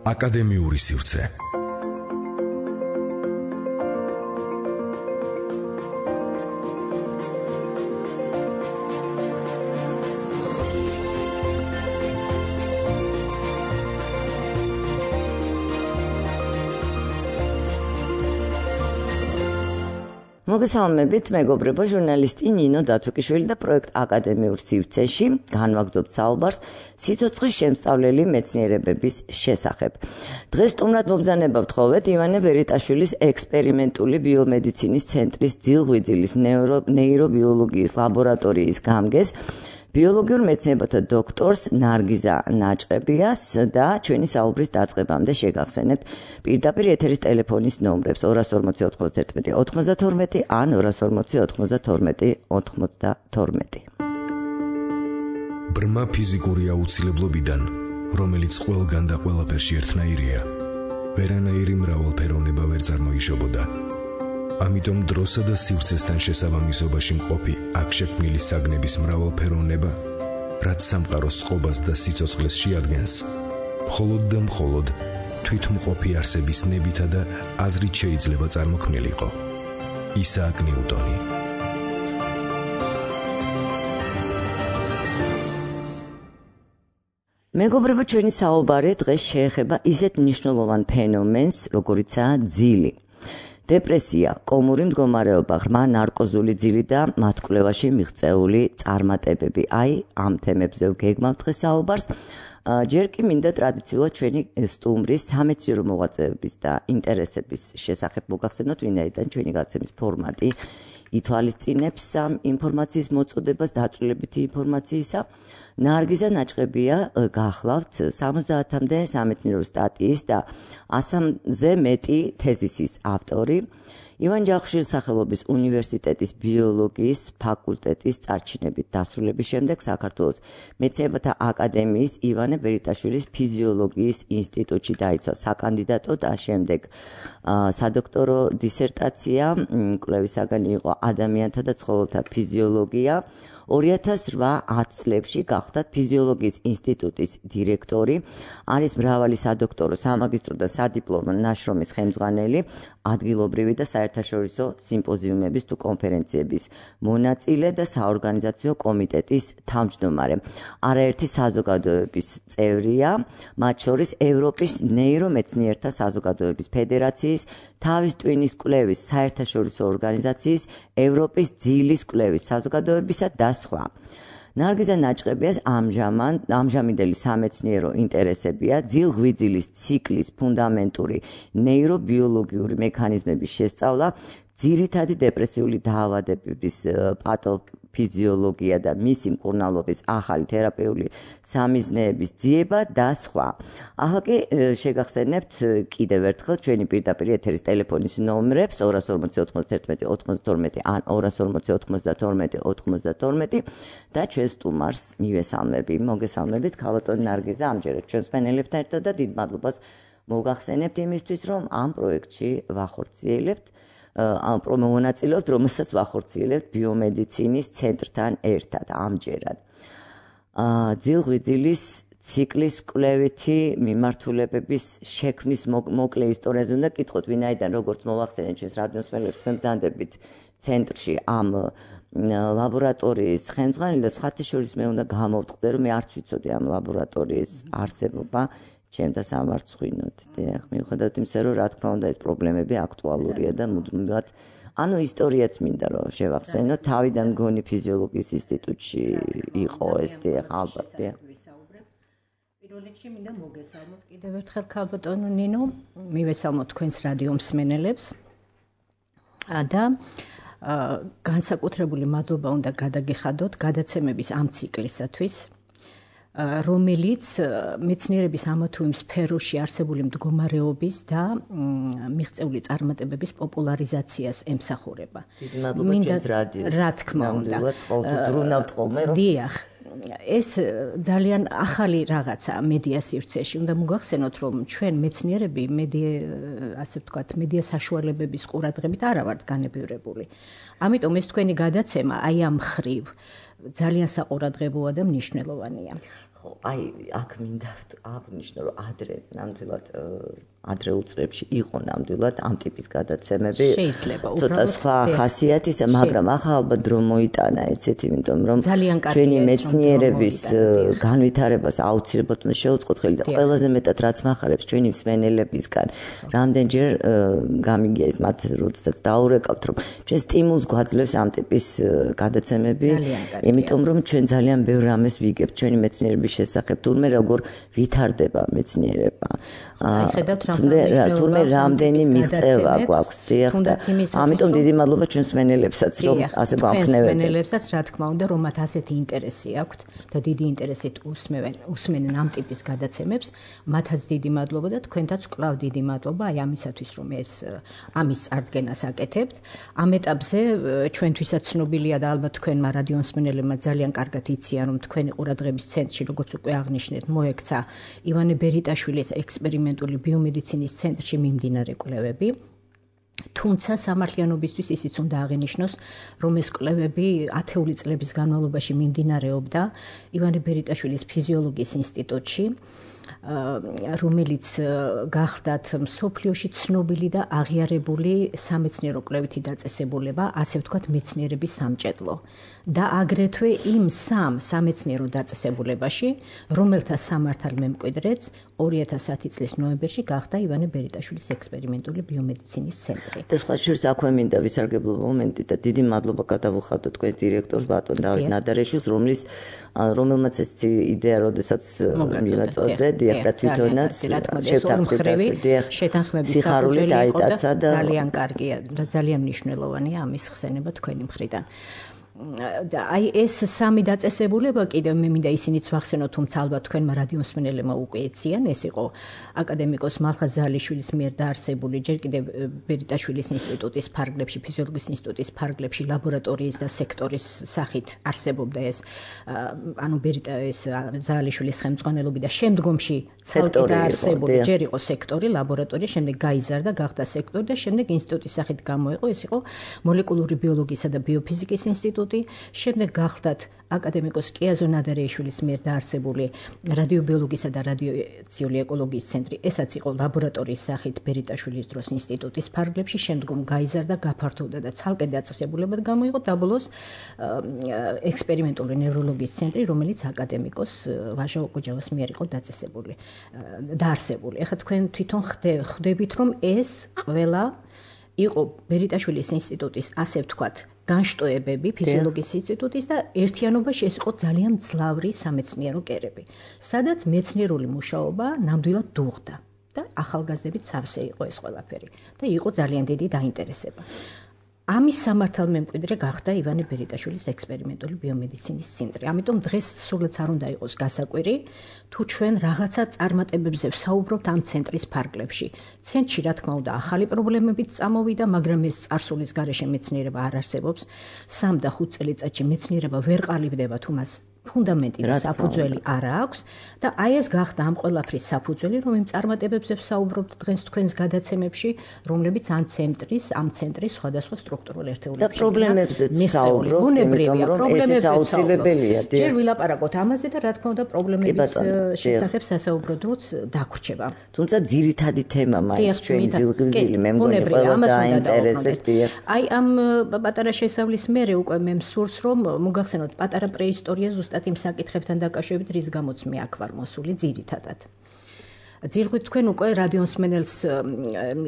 აკადემიური სივრცე. მოგესალმებით, მეგობრებო, ჟურნალისტი ნინო დათუკიშვილი და პროექტ აკადემიურ სივრცეში განვაგრძობთ საუბარს სიცოცხლის შემსწავლელი მეცნიერებების შესახებ. დღეს სტუმრად მომბრძანება ვთხოვეთ ივანე ბერიტაშვილის ექსპერიმენტული ბიომედიცინის ცენტრის ძილღვიძილის ნეირობიოლოგიის ლაბორატორიის გამგეს, ბიოლოგიურ მეცნიერებათა დოქტორს ნარგიზა ნაჭყებიას და ჩვენი საუბრის დაწყებამდე შეგახსენებთ პირდაპირ ეთერის ტელეფონის ნომრებს 240 91 92 ან 240 92 92. ბრმა ფიზიკური აუცილებლობიდან, რომელიც ყველგან და ყველაფერში ერთნაირია, ვერანაირი მრავალფეროვნება ვერ წარმოიშობოდა. ამიტომ დროსა და სივრცესთან შესაბამისობაში მყოფი აქ შექმნილი საგნების მრავალფეროვნება, რაც სამყაროს წყობას და სიცოცხლეს შეადგენს, მხოლოდ და მხოლოდ თვითმყოფი არსების ნებითა და აზრით შეიძლება წარმოქმნილიყო. ისააკ ნიუტონი. მეგობრებო, ჩვენი საუბარი დღეს შეეხება ისეთ მნიშვნელოვან ფენომენს, როგორიცაა ძილი. დეპრესია, კომური მდგომარეობა, ღრმა ნარკოზული ძილი და მათ კვლევაში მიღწეული წარმატებები. ამ თემებზე ვგეგმავთ დღეს საუბარს. ჯერ კი მინდა ტრადიციულად ჩვენი სტუმრის სამეცნიერო მოღვაწეების და ინტერესების შესახებ მოგახსენოთ, ვინაიდან ჩვენი გაცემის ფორმატი ითვალისწინებს ამ ინფორმაციის მოწოდებას დაწვრილებითი ინფორმაციისა. ნარგიზა ნაჭყებია გახლავთ 70-მდე სამეცნიერო სტატიის და 100-ზე მეტი თეზისის ავტორი. ივან ჯავახიშვილის სახელობის უნივერსიტეტის ბიოლოგიის ფაკულტეტის წარჩინებით დასრულების შემდეგ საქართველოს მეცნიერებათა აკადემიის ივანე ბერიტაშვილის ფიზიოლოგიის ინსტიტუტში დაიცვა საკანდიდატო და შემდეგ სადოქტორო დისერტაცია. კვლევის საგანი იყო ადამიანთა და ცხოველთა ფიზიოლოგია. 2008 წლებში გახდათ ფიზიოლოგიის ინსტიტუტის დირექტორი, არის მრავალი სადოქტორო, სამაგისტრო და სადიპლომო ნაშრომის ხელმძღვანელი, ადგილობრივი და საერთაშორისო სიმპოზიუმების თუ კონფერენციების მონაწილე და საორგანიზაციო კომიტეტის თავმჯდომარე. არაერთი საზოგადოების წევრია, მათ შორის ევროპის ნეირომეცნიერთა საზოგადოების ფედერაციის, თავის ტვინის კვლევის საერთაშორისო ორგანიზაციის, ევროპის ძილის კვლევის საზოგადოებისა და სხვა. ნარგიზა ნაჭყებიას ამჟამინდელი სამეცნიერო ინტერესებია ძილღვიძილის ციკლის ფუნდამენტური ნეირობიოლოგიური მექანიზმების შესწავლა, ძირითადი დეპრესიული დაავადებების პათოფიზიოლოგია და მისი მკურნალობის ახალი თერაპიული სამიზნეების ძიება და სხვა. ახლა კი შეგახსენებთ კიდევ ერთხელ ჩვენი პირდაპირ ეთერის ტელეფონის ნომრებს 240 91 92 ან 240 92 92 და ჩვენ სტუმარს მივესალმები. მოგესალმებით, ქალბატონი ნარგიზა, ამჯერად ჩვენს პანელებთან ერთად და დიდ მადლობას მოგახსენებთ იმისთვის, რომ ამ პროექტში ვახორციელებთ. მონაწილეობთ, რომელსაც ვახორციელებთ ბიომედიცინის ცენტრთან ერთად ამჯერად. ძილღვიძილის ციკლის კვლევითი მიმართულებების შექმნის მოკლე ისტორიაზე უნდა გკითხოთ, ვინაიდან როგორც მოვახსენეთ ჩვენს რადიოსმენელებს, თქვენ ბრძანდებით ცენტრში ამ ლაბორატორიის ხელმძღვანელი და სხვათა შორის მე უნდა გამოვტყდე, რომ მე არც ვიცოდი ამ ლაბორატორიის არსებობა. ჩემ და სამარცხვინოთ. მიუხედავად იმისა, რომ რა თქმა უნდა ეს პრობლემები აქტუალურია და მუდმივად, ისტორიაც მინდა რომ შევახსენო, თავიდან მგონი ფიზიოლოგიის ინსტიტუტში იყო ეს ალბათ. პირველ რიგში მინდა მოგესალმოთ კიდევ ერთხელ ქალბატონო ნინო, მივესალმოთ თქვენს რადიო მსმენელებს და განსაკუთრებული მადლობა უნდა გადაგიხადოთ გადაცემების ამ ციკლისათვის, რომელიც მეცნიერების ამა თუ იმ სფეროში არსებული მდგომარეობის და მიღწეული წარმატებების პოპულარიზაციას ემსახურება. მინდა რა თქმა უნდა ყოველთვის ბრუნავთ ხოლმე რომ დიახ, ეს ძალიან ახალი რაღაცაა მედია სივრცეში. უნდა მოგახსენოთ, რომ ჩვენ მეცნიერები ასე ვთქვათ, მედია საშუალებების ყურადღებით არა ვართ განებივრებული. ამიტომ ეს თქვენი გადაცემა აი ამ მხრივ ძალიან საყურადღებოა და მნიშვნელოვანია. ხო, აი აქ მინდა აღნიშნო, რომ ნამდვილად ადრეულ წლებში იყო ნამდვილად ამ ტიპის გადაცემები. შეიძლება ცოტა სხვა ხასიათისა, მაგრამ ახლა ალბათ დრო მოიტანა ეცეთ, იმიტომ რომ ჩვენი მეცნიერების განვითარებას აუცილებლად უნდა შევუწყოთ ხელი და ყველაზე მეტად რაც მახარებს ჩვენი მსმენელებისგან, რამდენჯერ გამიგია ის მათ როდესაც დაურეკავთ, რომ ჩვენ სტიმულს გვაძლევს ამ ტიპის გადაცემები, იმიტომ რომ ჩვენ ძალიან ბევრ რამეს ვიგებთ ჩვენი მეცნიერების შესახებ, თურმე როგორ ვითარდება მეცნიერება. აი ხედავთ თურმე რამდენი მიღწევა გვაქვს, დიახ და ამიტომ დიდი მადლობა ჩვენს მსმენელებსაც, რომ ასე გვამხნევებენ. მსმენელებსაც რა თქმა უნდა, რომ მათ ასეთი ინტერესი აქვთ და დიდი ინტერესით უსმენენ ამ ტიპის გადაცემებს, მათაც დიდი მადლობა და თქვენთაც კვლავ დიდი მადლობა აი ამისათვის, რომ ამის წარდგენას აკეთებთ. ამ ეტაპზე ჩვენთვისაც ცნობილია და ალბათ თქვენმა რადიო მსმენელებმა ძალიან კარგად იციან, რომ თქვენი ყურადღების ცენტრში, როგორც უკვე აღნიშნეთ, მოექცა ივანე ბერიტაშვილის ექსპერიმენტული ბიომედიცინის ცენტრში მიმდინარე კვლევები. თუმცა სამართლიანობისთვის ისიც უნდა აღინიშნოს, რომ ეს კვლევები 10 წლების განმავლობაში მიმდინარეობდა ივანე ბერიტაშვილის ფიზიოლოგიის ინსტიტუტში, რომელიც გახლდათ მსოფლიოში ცნობილი და აღიარებული სამეცნიერო კვლევითი დაწესებულება, ასე ვთქვათ, მეცნიერების სამჭედლო. და აგრეთვე იმ სამეცნიერო დაწესებულებაში, რომელთა სამართალ მემკვიდრეც 2010 წლის ნოემბერში გახდა ივანე ბერიტაშვილის ექსპერიმენტული ბიომედიცინის ცენტრი. და სხვა შორის აქვე მინდა ვისარგებლო მომენტი და დიდი მადლობა გადავუხადოთ თქვენს დირექტორს ბატონ დავით ნადარეშვილს, რომელმაც ეს იდეა როდესაც მივაწოდე, დიახ და თვითონაც შეთანხმების სიხარული დაიტაცა და ძალიან კარგია და ძალიან მნიშვნელოვანია ამის ხსენება თქვენი მხრიდან. და აი ეს სამი დაწესებულება კიდევ მე მინდა ისინიც ვახსენო, თუმცა ალბათ თქვენმა რადიო მსმენელებმა უკვე ეციან, ეს იყო აკადემიკოს მალხაზ ზალიშვილის მიერ დაარსებული ჯერ კიდევ ბერიტაშვილის ინსტიტუტის ფარგლებში, ფიზიოლოგიის ინსტიტუტის ფარგლებში ლაბორატორიის და სექტორის სახით არსებობდა ეს ზალიშვილის ხელმძღვანელობით და შემდგომში ცალკე დაარსებული ჯერ იყო სექტორი, ლაბორატორია, შემდეგ გაიზარდა, გახდა სექტორი და შემდეგ ინსტიტუტის სახით გამოიყო, ეს იყო მოლეკულური ბიოლოგიისა და ბიოფიზიკის ინსტიტუტი. შემდეგ გახლდათ აკადემიკოს კიაზო ნადარეიშვილის მიერ დაარსებული რადიობიოლოგიისა და რადიაციული ეკოლოგიის ცენტრი, ესაც იყო ლაბორატორიის სახით ბერიტაშვილის დროს ინსტიტუტის ფარგლებში, შემდგომ გაიზარდა, გაფართოვდა და ცალკე დაწესებულებად გამოიყო და ბოლოს ექსპერიმენტული ნევროლოგიის ცენტრი, რომელიც აკადემიკოს ვაჟა ოკუჯავას მიერ იყო დაარსებული. ეხლა თქვენ თვითონ ხვდებით, რომ ეს ყველა იყო ბერიტაშვილის ინსტიტუტის, ასე ვთქვათ, განშტოებები ფიზიოლოგიის ინსტიტუტის და ერთიანობაში ეს იყო ძალიან მძლავრი სამეცნიერო კერები, სადაც მეცნიერული მუშაობა ნამდვილად დუღდა და ახალგაზრდებით სავსე იყო ეს ყველაფერი და იყო ძალიან დიდი დაინტერესება. ამის სამართალ მემკვიდრე გახდა ივანე ბერიტაშვილის ექსპერიმენტული ბიომედიცინის ცენტრი. ამიტომ დღეს სულაც არ უნდა იყოს გასაკვირი, თუ ჩვენ რაღაცა წარმატებებზე ვსაუბრობთ ამ ცენტრის ფარგლებში. ცენტრში, რა თქმა უნდა, ახალი პრობლემებიც წამოვიდა, მაგრამ ეს წარსულის გარეშე მეცნიერება არ არსებობს. 3 და 5 წელიწადში მეცნიერება ვერ ყალიბდება, თუ მას ფუნდამენტი და საფუძველი არ აქვს და აი ეს გახდა ამ ყველაფრის საფუძველი, რომ იმ წარმატებებზე ვსაუბრობთ დღეს თქვენს გადაცემებში, რომლებიც ამ ცენტრის სხვადასხვა სტრუქტურულ ერთეულებში და პრობლემებზეც ვსაუბრობთ, იმიტომ რომ ესეც აუცილებელია. ჯერ ვილაპარაკოთ ამაზე და რა თქმა უნდა პრობლემების შესახებ სასაუბრო დროც დაგვრჩება. თუმცა ძირითადი თემა მაინც ჩვენი ძილღილგილი მე მგონი ყველას დაინტერესებს. აი ამ პატარა შესავლის მერე უკვე მე მსურს რომ მოგახსენოთ პატარა პრეისტორია ზუსტად იმ საკითხებთან დაკავშირებით, რის გამოც მე აქ ვარ მოსული ძირითადად. ძირღვით თქვენ უკვე რადიო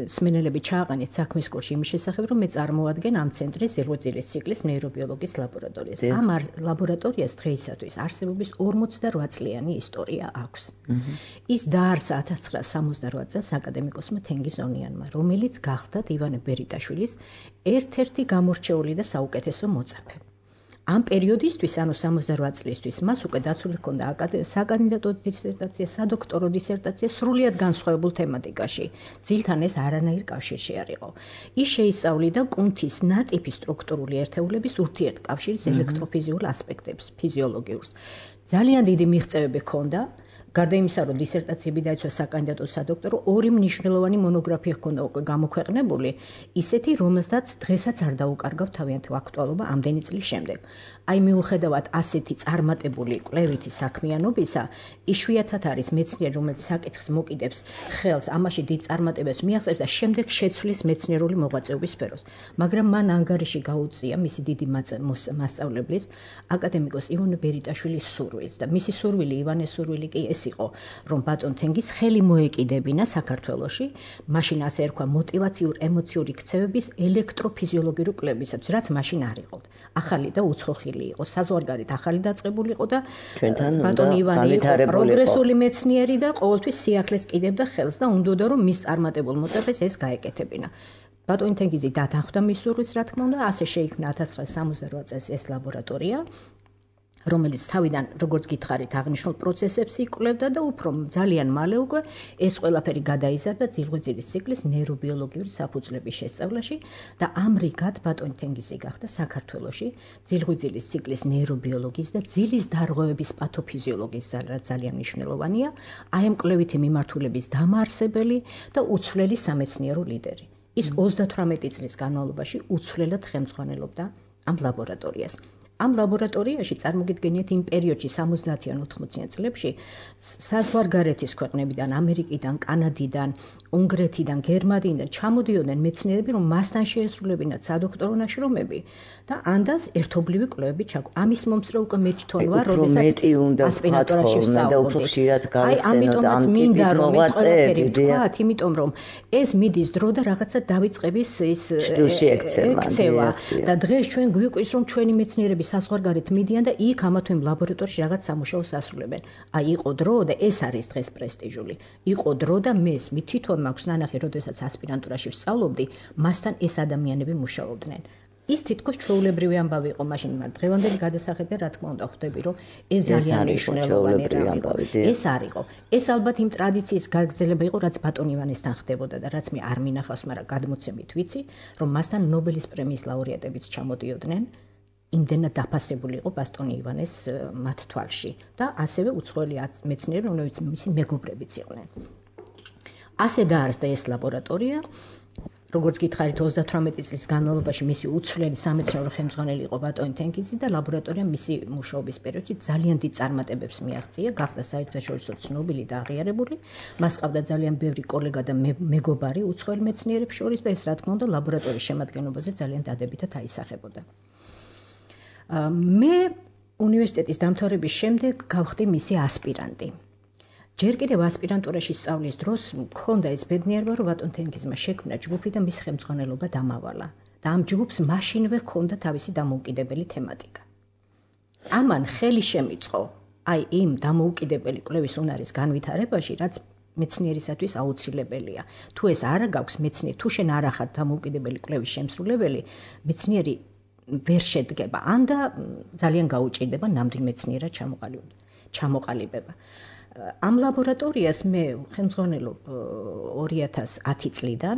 მსმენელები ჩააყენეთ საქმის კურსში იმის შესახებ, რომ მე წარმოვადგენ ამ ცენტრის ზირღვიძილის ციკლის ნეირობიოლოგიის ლაბორატორიას. ამ ლაბორატორიას დღეისათვის არსებობის 48 წლიანი ისტორია აქვს. ის დაარსა 1968 წელს აკადემიკოსმა თენგიზ ონიანმა, რომელიც გახლდათ ივანე ბერიტაშვილის ერთ-ერთი გამორჩეული და საუკეთესო მოწაფე. ამ პერიოდისთვის, ანუ 68 წლისთვის, მას უკვე დაცული ჰქონდა საკანდიდატო დისერტაცია, სადოქტორო დისერტაცია სრულიად განსხვავებულ თემატიკაში. ძილთან ეს არანაირ კავშირში არ იყო. ის შეისწავლიდა კუნთის ნატიფი სტრუქტურული ერთეულების ურთიერთკავშირის ელექტროფიზიულ ასპექტებს, ფიზიოლოგიურს. ძალიან დიდი მიღწევები ჰქონდა, გარდა იმისა, რომ დისერტაციები დაიცვა საკანდიდატო სადოქტორო, 2 მნიშვნელოვანი მონოგრაფია ჰქონდა უკვე გამოქვეყნებული, ისეთი, რომელსაც დღესაც არ დაუკარგავთ თავიანთი აქტუალობა ამდენი წლის შემდეგ. აი მიუხედავად ასეთი წარმატებული კვლევითი საქმიანობისა, იშვიათად არის მეცნიერი, რომელიც საკითხს მოკიდებს ხელს, ამაში დიდ წარმატებებს მიაღწევს და შემდეგ შეცვლის მეცნიერული მოღვაწეობის სფეროს. მაგრამ მან ანგარიში გაუწია მისი დიდი მასწავლებლის, აკადემიკოს ივანე ბერიტაშვილის სურვილს და მისი სურვილი, ივანეს სურვილი კი ეს იყო, რომ ბატონ თენგიზ ხელი მოეკიდებინა საქართველოში, მაშინ ასე ერქვა მოტივაციურ-ემოციური ქცევების ელექტროფიზიოლოგიური კვლევებისათვის, რაც მაშინ არ იყო. ახალი და უცხოხილი იყო, საზღვარგარეთ ახალი დაწყებული იყო და ბატონ ივანე იყო პროგრესული მეცნიერი და ყოველთვის სიახლეს კიდებდა ხელს და უნდოდა რომ მის წარმატებულ მოწაფეს ეს გაეკეთებინა. ბატონი თენგიზი დათანხმდა მის სურვილს, რა თქმა უნდა, ასე შეიქმნა 1968 წელს ეს ლაბორატორია, რომელიც თავიდან, როგორც გითხარით, აღნიშნულ პროცესებს იკვლევდა და უფრო ძალიან მალე უკვე ეს ყველაფერი გადაიზარდა ძილღვიძილის ციკლის ნეირობიოლოგიური საფუძვლების შესწავლაში და ამრიგად ბატონი თენგიზი გახდა საქართველოში ძილღვიძილის ციკლის ნეირობიოლოგიის და ძილის დარღვევების პათოფიზიოლოგიის ძალიან მნიშვნელოვანია, აი ამ კვლევითი მიმართულების დამაარსებელი და უცვლელი სამეცნიერო ლიდერი. ის 38 წლის განმავლობაში უცვლელად ხელმძღვანელობდა ამ ლაბორატორიას. ამ ლაბორატორიაში წარმოგიდგენიათ იმ პერიოდში 70-იან 80-იან წლებში საზღვარგარეთის ქვეყნებიდან, ამერიკიდან, კანადიდან, უნგრეთიდან, გერმანიიდან ჩამოდიოდნენ მეცნიერები, რომ მასთან შეესრულებინათ სადოქტორო ნაშრომები და ანდას ერთობლივი კვლევები ჩაგვ. ამის მომსწრე უკვე მე თვითონ ვარ, როდესაც ასპირანტურაში ვსწავლობდი. და უფრო ხშირად გავიხსენოთ ამ ტიპის მოღვაწეები, იმიტომ რომ ეს მიდის დრო და რაღაცა დავიწყების ის ექცევა და დღეს ჩვენ გვიკვირს, რომ ჩვენი მეცნიერები საზღვარგარეთ მიდიან და იქ ამათვე ლაბორატორიაში რაღაც სამუშაოს ასრულებენ. აი იყო დრო და ეს არის დღეს პრესტიჟული. იყო დრო და მე თვითონ მაქვს ნანახი, როდესაც ასპირანტურაში ვსწავლობდი, მასთან ეს ადამიანები მუშაობდნენ. ის თითქოს ჩვეულებრივი ამბავი იყო მაშინ, მაგრამ დღევანდელი გადასახედა რა თქმა უნდა ხვდები, რომ ეს ძალიან მნიშვნელოვანი რამე. ეს არ იყო. ეს ალბათ იმ ტრადიციის გაგრძელება იყო, რაც ბატონ ივანესთან ხდებოდა და რაც მე არ მინახავს, მაგრამ გადმოცემით ვიცი, რომ მასთან ნობელის პრემიის ლაურეატებიც ჩამოდიოდნენ. იმდენად დაფასებული იყო ბატონი ივანეს მათ თვალში და ასევე უცხოელი მეცნიერები, რომლებიც მისი მეგობრებიც იყვნენ. ასე დაარსდა ეს ლაბორატორია. როგორც გითხარით, 38 წლის განმავლობაში მისი უცვლელი სამეცნიერო ხელმძღვანელი იყო ბატონი თენგიზი და ლაბორატორიამ მისი მუშაობის პერიოდში ძალიან დიდ წარმატებებს მიაღწია, გახდა საერთაშორისო ცნობილი და აღიარებული. მას ჰყავდა ძალიან ბევრი კოლეგა და მეგობარი უცხოელ მეცნიერებს შორის და ეს რა თქმა უნდა ლაბორატორიის შემადგენლობაზე ძალიან დადებითად აისახებოდა. მე უნივერსიტეტის დამთავრების შემდეგ გავხდი მისი ასპირანტი. ჯერ კიდევ ასპირანტურაში სწავლის დროს მქონდა ეს ბედნიერება, რომ ბატონ თენგიზმა შექმნა ჯგუფი და მის ხელმძღვანელობა დამავალა. და ამ ჯგუფს მაშინვე ჰქონდა თავისი დამოუკიდებელი თემატიკა. ამან ხელი შემიწყო აი იმ დამოუკიდებელი კვლევის უნარის განვითარებაში, რაც მეცნიერისათვის აუცილებელია. თუ ეს არ გაქვს მეცნიერი, თუ შენ არ ახარ დამოუკიდებელი კვლევის შემსრულებელი, მეცნიერი ვერ შედგება, ან და ძალიან გაუჭირდება ნამდვილ მეცნიერად ჩამოყალიბება. ამ ლაბორატორიას მე ხელმძღვანელობ 2010 წლიდან,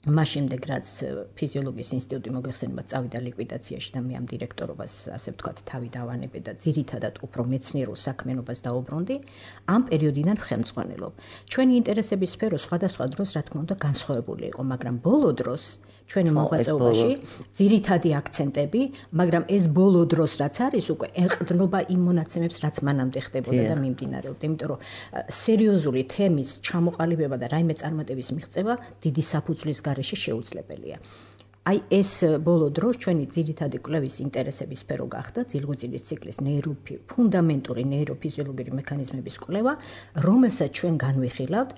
მას შემდეგ რაც ფიზიოლოგიის ინსტიტუტი მოგეხსენება წავიდა ლიკვიდაციაში და მე ამ დირექტორობას, ასე ვთქვათ, თავი დავანებე და ძირითადად უფრო მეცნიერულ საქმიანობას დაუბრუნდი, ამ პერიოდიდან ხელმძღვანელობ. ჩვენი ინტერესების სფერო სხვადასხვა დროს, რა თქმა უნდა, განსხვავებული იყო, მაგრამ ბოლო დროს ჩვენი მოღვაწეობაში ძირითადი აქცენტები, მაგრამ ეს ბოლო დროს რაც არის, უკვე ეყრდნობა იმ მონაცემებს, რაც მანამდე ხდებოდა და მიმდინარეობდა. იმიტომ რომ სერიოზული თემის ჩამოყალიბება და რაიმე წარმატების მიღწევა დიდი საფუძვლის გარეშე შეუძლებელია. აი ეს ბოლო დროს ჩვენი ძირითადი კვლევის ინტერესების სფერო გახდა ძილღვიძილის ციკლის ფუნდამენტური ნეიროფიზიოლოგიური მექანიზმების კვლევა, რომელსაც ჩვენ განვიხილავთ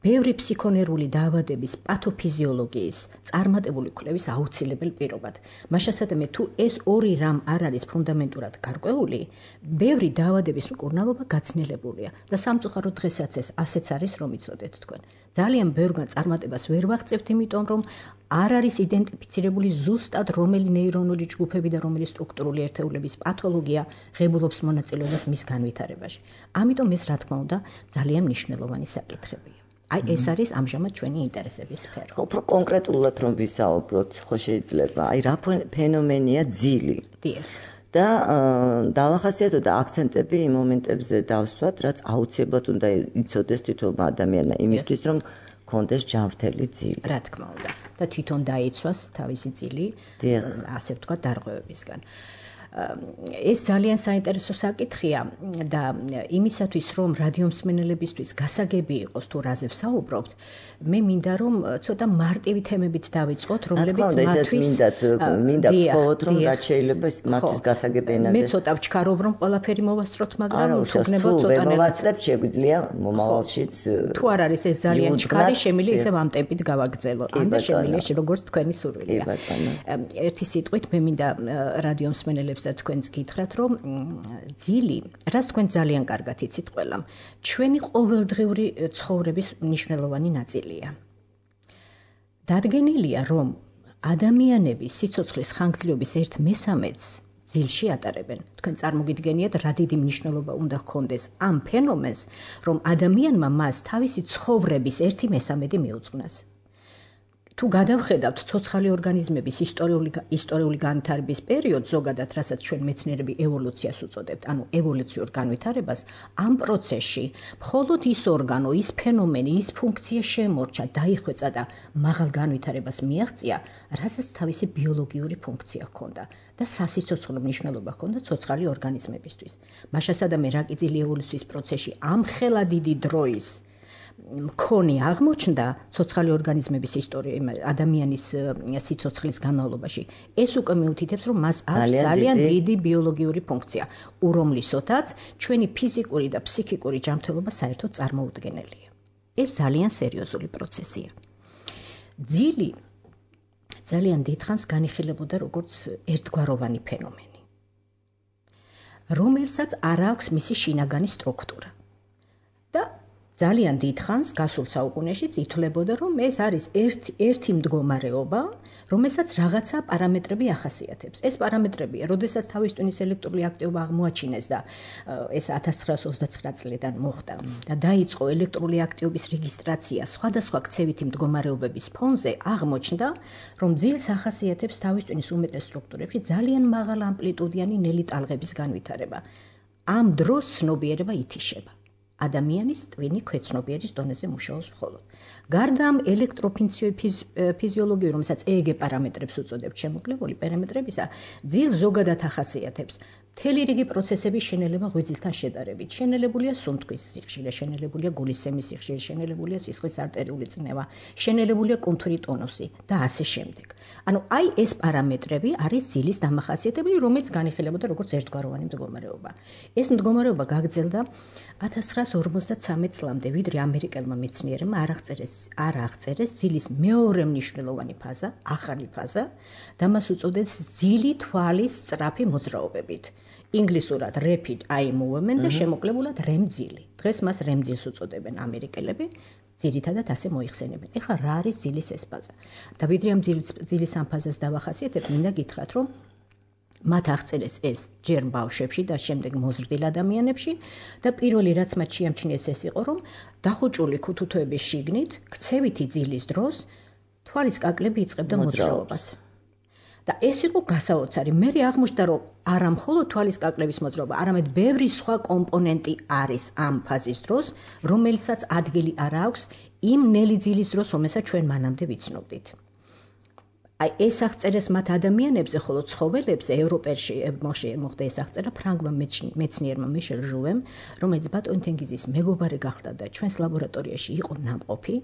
ბევრი ფსიქონერული დაავადების პათოფიზიოლოგიის წარმატებული კვლევის აუცილებელ პირობად. მაშასადამე თუ ეს ორი რამ არ არის ფუნდამენტურად გარკვეული, ბევრი დაავადების მკურნალობა გაცნელებულია და სამწუხაროდ დღესაც ეს ასეც არის, რომ იცოდეთ თქვენ. ძალიან ბევრგან წარმატებას ვერ ვაღწევთ, იმიტომ რომ არ არის იდენტიფიცირებული ზუსტად რომელი ნეირონული ჯგუფები და რომელი სტრუქტურული ერთეულების პათოლოგია ღებულობს მონაწილეობას მის განვითარებაში. ამიტომ ეს რა თქმა უნდა ძალიან მნიშვნელოვანი საკითხებია. აი ეს არის ამჟამად ჩვენი ინტერესების სფერო. ხო, უფრო კონკრეტულად რომ ვისაუბროთ, ხო შეიძლება. აი რა ფენომენია ძილი? დიახ. და დავახასიათოთ აქცენტები იმ მომენტებზე დავსვათ, რაც აუცილებლად უნდა იცოდეს თითოეულ ადამიანმა იმისთვის, რომ კონდეს ჯანმრთელი ძილი. რა თქმა უნდა. და თვითონ დაიცვას თავისი ძილი, ასე ვთქვათ, დარღვევებისგან. ეს ძალიან საინტერესო საკითხია და იმისათვის, რომ რადიომსმენელებისთვის გასაგები იყოს თუ რაზე ვსაუბრობთ, მე მინდა რომ ცოტა მარტივი თემებით დავიწყოთ, რომლებიც მათთვის მინდა ვთხოვოთ, რომ რაც შეიძლება მათთვის გასაგები ენაზე. მე ცოტა ვჩქარობ, რომ ყველაფერი მოვასწროთ, მაგრამ უცნობ ცოტა მოვასწრებთ, შეგვიძლია მომავალშიც. თუ არ არის ეს ძალიან ჩქარი, შემიძლია ისევ ამ ტემპით გავაგრძელო. ან და შემიძლია როგორც თქვენი სურვილია. ერთი სიტყვით მე მინდა რადიომსმენელებს და თქვენს გითხრათ, რომ ძილი, რაც თქვენ ძალიან კარგად იცით ყველამ, ჩვენი ყოველდღიური ცხოვრების მნიშვნელოვანი ნაწილია. დადგენილია, რომ ადამიანები სიცოცხლის ხანგრძლივობის 1/3-ს ძილში ატარებენ. თქვენ წარმოგიდგენიათ, რა დიდი მნიშვნელობა უნდა ჰქონდეს ამ ფენომენს, რომ ადამიანმა მას თავისი ცხოვრების 1/3 მიუძღვნას. თუ გადავხედავთ ცოცხალი ორგანიზმების ისტორიული განვითარების პერიოდს, ზოგადად, რასაც ჩვენ მეცნიერები ევოლუციას უწოდებთ, ანუ ევოლუციურ განვითარებას, ამ პროცესში მხოლოდ ის ორგანო, ის ფენომენი, ის ფუნქცია შემორჩა, დაიხვეწა და მაღალ განვითარებას მიაღწია, რასაც თავისი ბიოლოგიური ფუნქცია ჰქონდა და სასიცოცხლო მნიშვნელობა ჰქონდა ცოცხალი ორგანიზმებისთვის. მაშასადამე რაკიძილი ევოლუციის პროცესში ამ ხელა დიდი დროის მქონე აღმოჩნდა ცოცხალი ორგანიზმების ადამიანის სიცოცხლის განმავლობაში. ეს უკვე მიუთითებს, რომ მას აქვს ძალიან დიდი ბიოლოგიური ფუნქცია, ურომლისოთაც ჩვენი ფიზიკური და ფსიქიკური ჯანმრთელობა საერთოდ წარმოუდგენელია. ეს ძალიან სერიოზული პროცესია. ძილი ძალიან დიდხანს განიხილებოდა როგორც ერთგვაროვანი ფენომენი, რომელსაც არ აქვს მისი შინაგანი სტრუქტურა. და ძალიან დიდხანს გასულ საუკუნეშიც ითვლებოდა, რომ ეს არის ერთი მდგომარეობა, რომელსაც რაღაცა პარამეტრები ახასიათებს. ეს პარამეტრებია, როდესაც თავის ტვინის ელექტრული აქტივობა აღმოაჩინეს და ეს 1929 წლიდან მოხდა და დაიწყო ელექტრული აქტივობის რეგისტრაცია სხვადასხვა ქცევითი მდგომარეობების ფონზე, აღმოჩნდა, რომ ძილს ახასიათებს თავის ტვინის უმეტეს სტრუქტურებში ძალიან მაღალ ამპლიტუდიანი ნელი ტალღების განვითარება. ამ დროს ცნობიერება ითიშება. ადამიანის ტვინი ქვეცნობიერის დონეზე მუშაობს მხოლოდ. გარდა ამ ელექტროფიზიოლოგიური, რომელსაც EEG პარამეტრებს უწოდებთ, შემოკლებული პარამეტრებისა, ძილს ზოგადად ახასიათებს მთელი რიგი პროცესების შენელება ღვიძლთან შედარებით. შენელებულია სუნთქვის სიხშირე, შენელებულია გულისცემის სიხშირე, შენელებულია სისხლის არტერიული წნევა, შენელებულია კუნთური ტონუსი და ასე შემდეგ. ანუ აი ეს პარამეტრები არის ძილის დამახასიათებელი, რომელიც განიხილებოდა როგორც ერთგვაროვანი მდგომარეობა. ეს მდგომარეობა გაგრძელდა 1953 წლამდე, ვიდრე ამერიკელმა მეცნიერებმა არ აღწერეს ძილის მეორე მნიშვნელოვანი ფაზა, ახალი ფაზა და მას უწოდეს ძილი თვალის სწრაფი მოძრაობებით. ინგლისურად rapid eye movement და შემოკლებულად REM ძილი. დღეს მას REM ძილს უწოდებენ ამერიკელები. ძირითადად ასე მოიხსენებენ. ეხლა რა არის ძილის ეს ფაზა? და ვიდრე ამ ძილის ამ ფაზას დავახასიათებ, მინდა გითხრათ, რომ მათ აღწერეს ეს ჯერ ბავშვებში და შემდეგ მოზრდილ ადამიანებში და პირველი რაც მათ შეამჩნიეს ეს იყო, რომ დახუჭული ქუთუთოების შიგნით ქცევითი ძილის დროს თვალის კაკლები იწყებდა მოძრაობას. და ეს იყო გასაოცარი. მე აღმოჩნდა, რომ არა მხოლოდ თვალის კაკლების მოძრაობა, არამედ ბევრი სხვა კომპონენტი არის ამ ფაზის დროს, რომელსაც ადგილი არ აქვს იმ ნელი ძილის დროს, რომელსაც ჩვენ მანამდე ვიცნობდით. აი ეს აღწერეს მათ ადამიანებზე, ხოლო ცხოველებზე ევროპაში მოხდა ეს აღწერა ფრანგმა მეცნიერმა მიშელ ჟუვემ, რომელიც ბატონი თენგიზის მეგობარი გახდა და ჩვენს ლაბორატორიაში იყო ნამყოფი.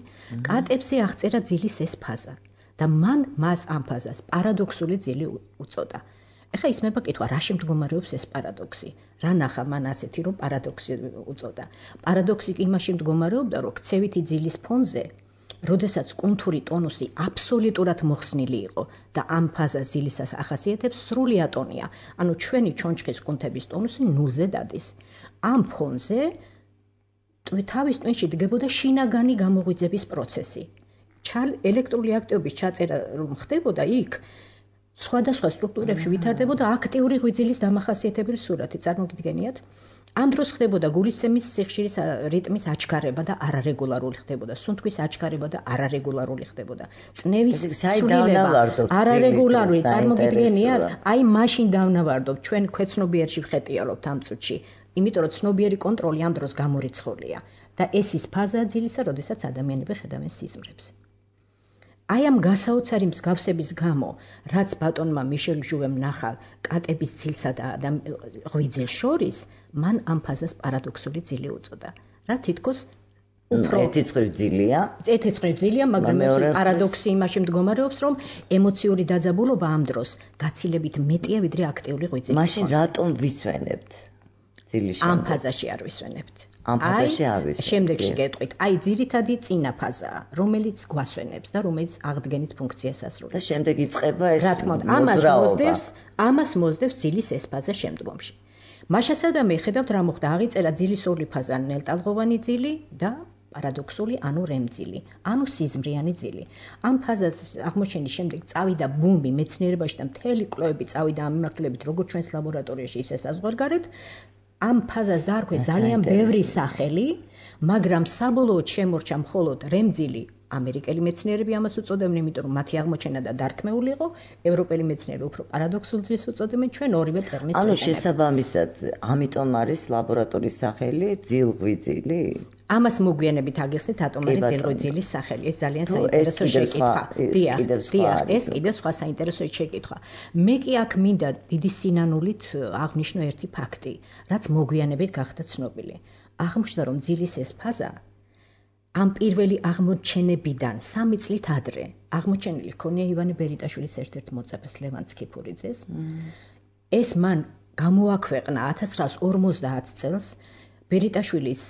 კატებზე აღწერა ძილის ეს ფაზა. და მან მას ამ ფაზას პარადოქსული ძილი უწოდა. ეხლა ისმება კითხვა, რაში მდგომარეობს ეს პარადოქსი? რა ნახა მან ასეთი, რომ პარადოქსი უწოდა? პარადოქსი იმაში მდგომარეობდა, რომ ქცევითი ძილის ფონზე, როდესაც კუნთური ტონუსი აბსოლუტურად მოხსნილი იყო და ამ ფაზას ძილისას ახასიათებს სრული ატონია, ანუ ჩვენი ჩონჩხის კუნთების ტონუსი ნულზე დადის. ამ ფონზე თავის ტვინში დგებოდა შინაგანი გამოღვიძების პროცესი. ელექტრული აქტივობის ჩაწერა რომ ხდებოდა იქ, სხვადასხვა სტრუქტურებში ვითარდებოდა აქტიური ღვიძლის დამახასიათებელი სურათი. წარმოგიდგენიათ? ამ დროს ხდებოდა გულისცემის სიხშირის რიტმის აჩქარება და არარეგულარული ხდებოდა, სუნთქვის აჩქარება და არარეგულარული ხდებოდა. წნევის სრულიება არარეგულარული წარმოგიდგენია, აი მაშინ დავნავარდობ, ჩვენ ქვეცნობიერში ვხეტიალობთ ამ წუთში, იმიტომ რომ ცნობიერი კონტროლი ამ დროს გამორიცხულია და ეს ის ფაზაა ძილისა, როდესაც ადამიანები ხედავენ სიზმრებს. აი ამ გასაოცარი მსგავსების გამო, რაც ბატონმა მიშელ ჟუვემ ნახა კატების ძილსა და ღვიძლს შორის, მან ამ ფაზას პარადოქსული ძილი უწოდა. რა თითქოს უფრო ერთიცხრი ძილია, მაგრამ პარადოქსი იმაში მდგომარეობს, რომ ემოციური დაძაბულობა ამ დროს გაცილებით მეტია, ვიდრე აქტიური ღვიძლის. მაშინ რატომ ვისვენებთ ძილის შემდეგ? ამ ფაზაში არ ვისვენებთ. ამ ფაზაში არ ვისვენებთ. შემდეგში გეტყვით, აი ძირითადი წინა ფაზაა, რომელიც გვასვენებს და რომელიც აღდგენით ფუნქციას ასრულებს. და შემდეგ იწყება ეს ამას მოსდევს ძილის ეს ფაზა შემდგომში. მაშასადამე მიხედავთ რა მოხდა, აღიწერა ძილის ორი ფაზა, ნელტალღოვანი ძილი და პარადოქსული, ანუ რემძილი, ანუ სიზმრიანი ძილი. ამ ფაზას აღმოჩენის შემდეგ წავიდა ბუმი მეცნიერებაში და მთელი კვლევები წავიდა ამ მიმართულებით, როგორც ჩვენს ლაბორატორიაში, ისე საზღვარგარეთ. ამ ფაზას დაარქვეს ძალიან ბევრი სახელი, მაგრამ საბოლოოდ შემორჩა მხოლოდ რემძილი. ამერიკელი მეცნიერები ამას უწოდებენ, იმიტომ რომ მათი აღმოჩენა და დარქმეული იყო, ევროპელი მეცნიერები უფრო პარადოქსულ ძილს უწოდებენ, ჩვენ ორივე ტერმინს ანუ შესაბამისად, ამიტომ არის ლაბორატორიის სახელი ძილღვიძლი? ამას მოგვიანებით აგიხსნით ატომური ძილღვიძლის სახელი. ეს ძალიან საინტერესო შეკითხვა. ეს კიდევ სხვა საინტერესო შეკითხვა. მე კი აქ მინდა დიდი სინანულით აღნიშნო ერთი ფაქტი, რაც მოგვიანებით გახდა ცნობილი. აღმოჩნდა, რომ ძილის ეს ფაზა ამ პირველი აღმოჩენებიდან 3 წლით ადრე აღმოჩენილი ჰქონია ივანე ბერიტაშვილის ერთ-ერთ მოწაფეს ლევან ცქიფურიძეს. ეს მან გამოაქვეყნა 1950 წელს ბერიტაშვილის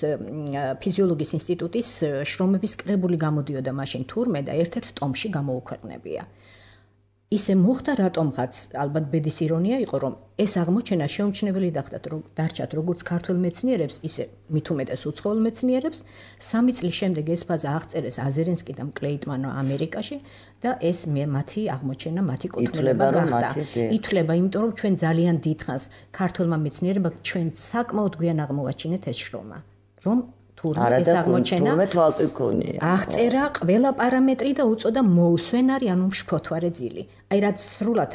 ფიზიოლოგიის ინსტიტუტის შრომების კრებული გამოდიოდა მაშინ თურმე და ერთ-ერთ ტომში გამოუქვეყნებია. ისე მოხდა რატომღაც, ალბათ ბედის ირონია იყო, რომ ეს აღმოჩენა შეუმჩნეველი დარჩათ როგორც ქართველ მეცნიერებს, ისე მით უმეტეს უცხოელ მეცნიერებს. 3 წლის შემდეგ ეს ფაზა აღწერეს აზერენსკი და კლეიტმანო ამერიკაში და ეს მათი აღმოჩენა, მათი კუთვნილება გახდა. ითვლება, იმიტომ რომ ჩვენ ძალიან დიდხანს ქართველმა მეცნიერებმა ჩვენ საკმაოდ გვიან აღმოვაჩინეთ ეს შრომა, რომ თურმე ეს აღმოჩენა აღწერა ყველა პარამეტრი და უწოდა მოუსვენარი, ანუ მშფოთვარე ძილი. აი რაც სრულად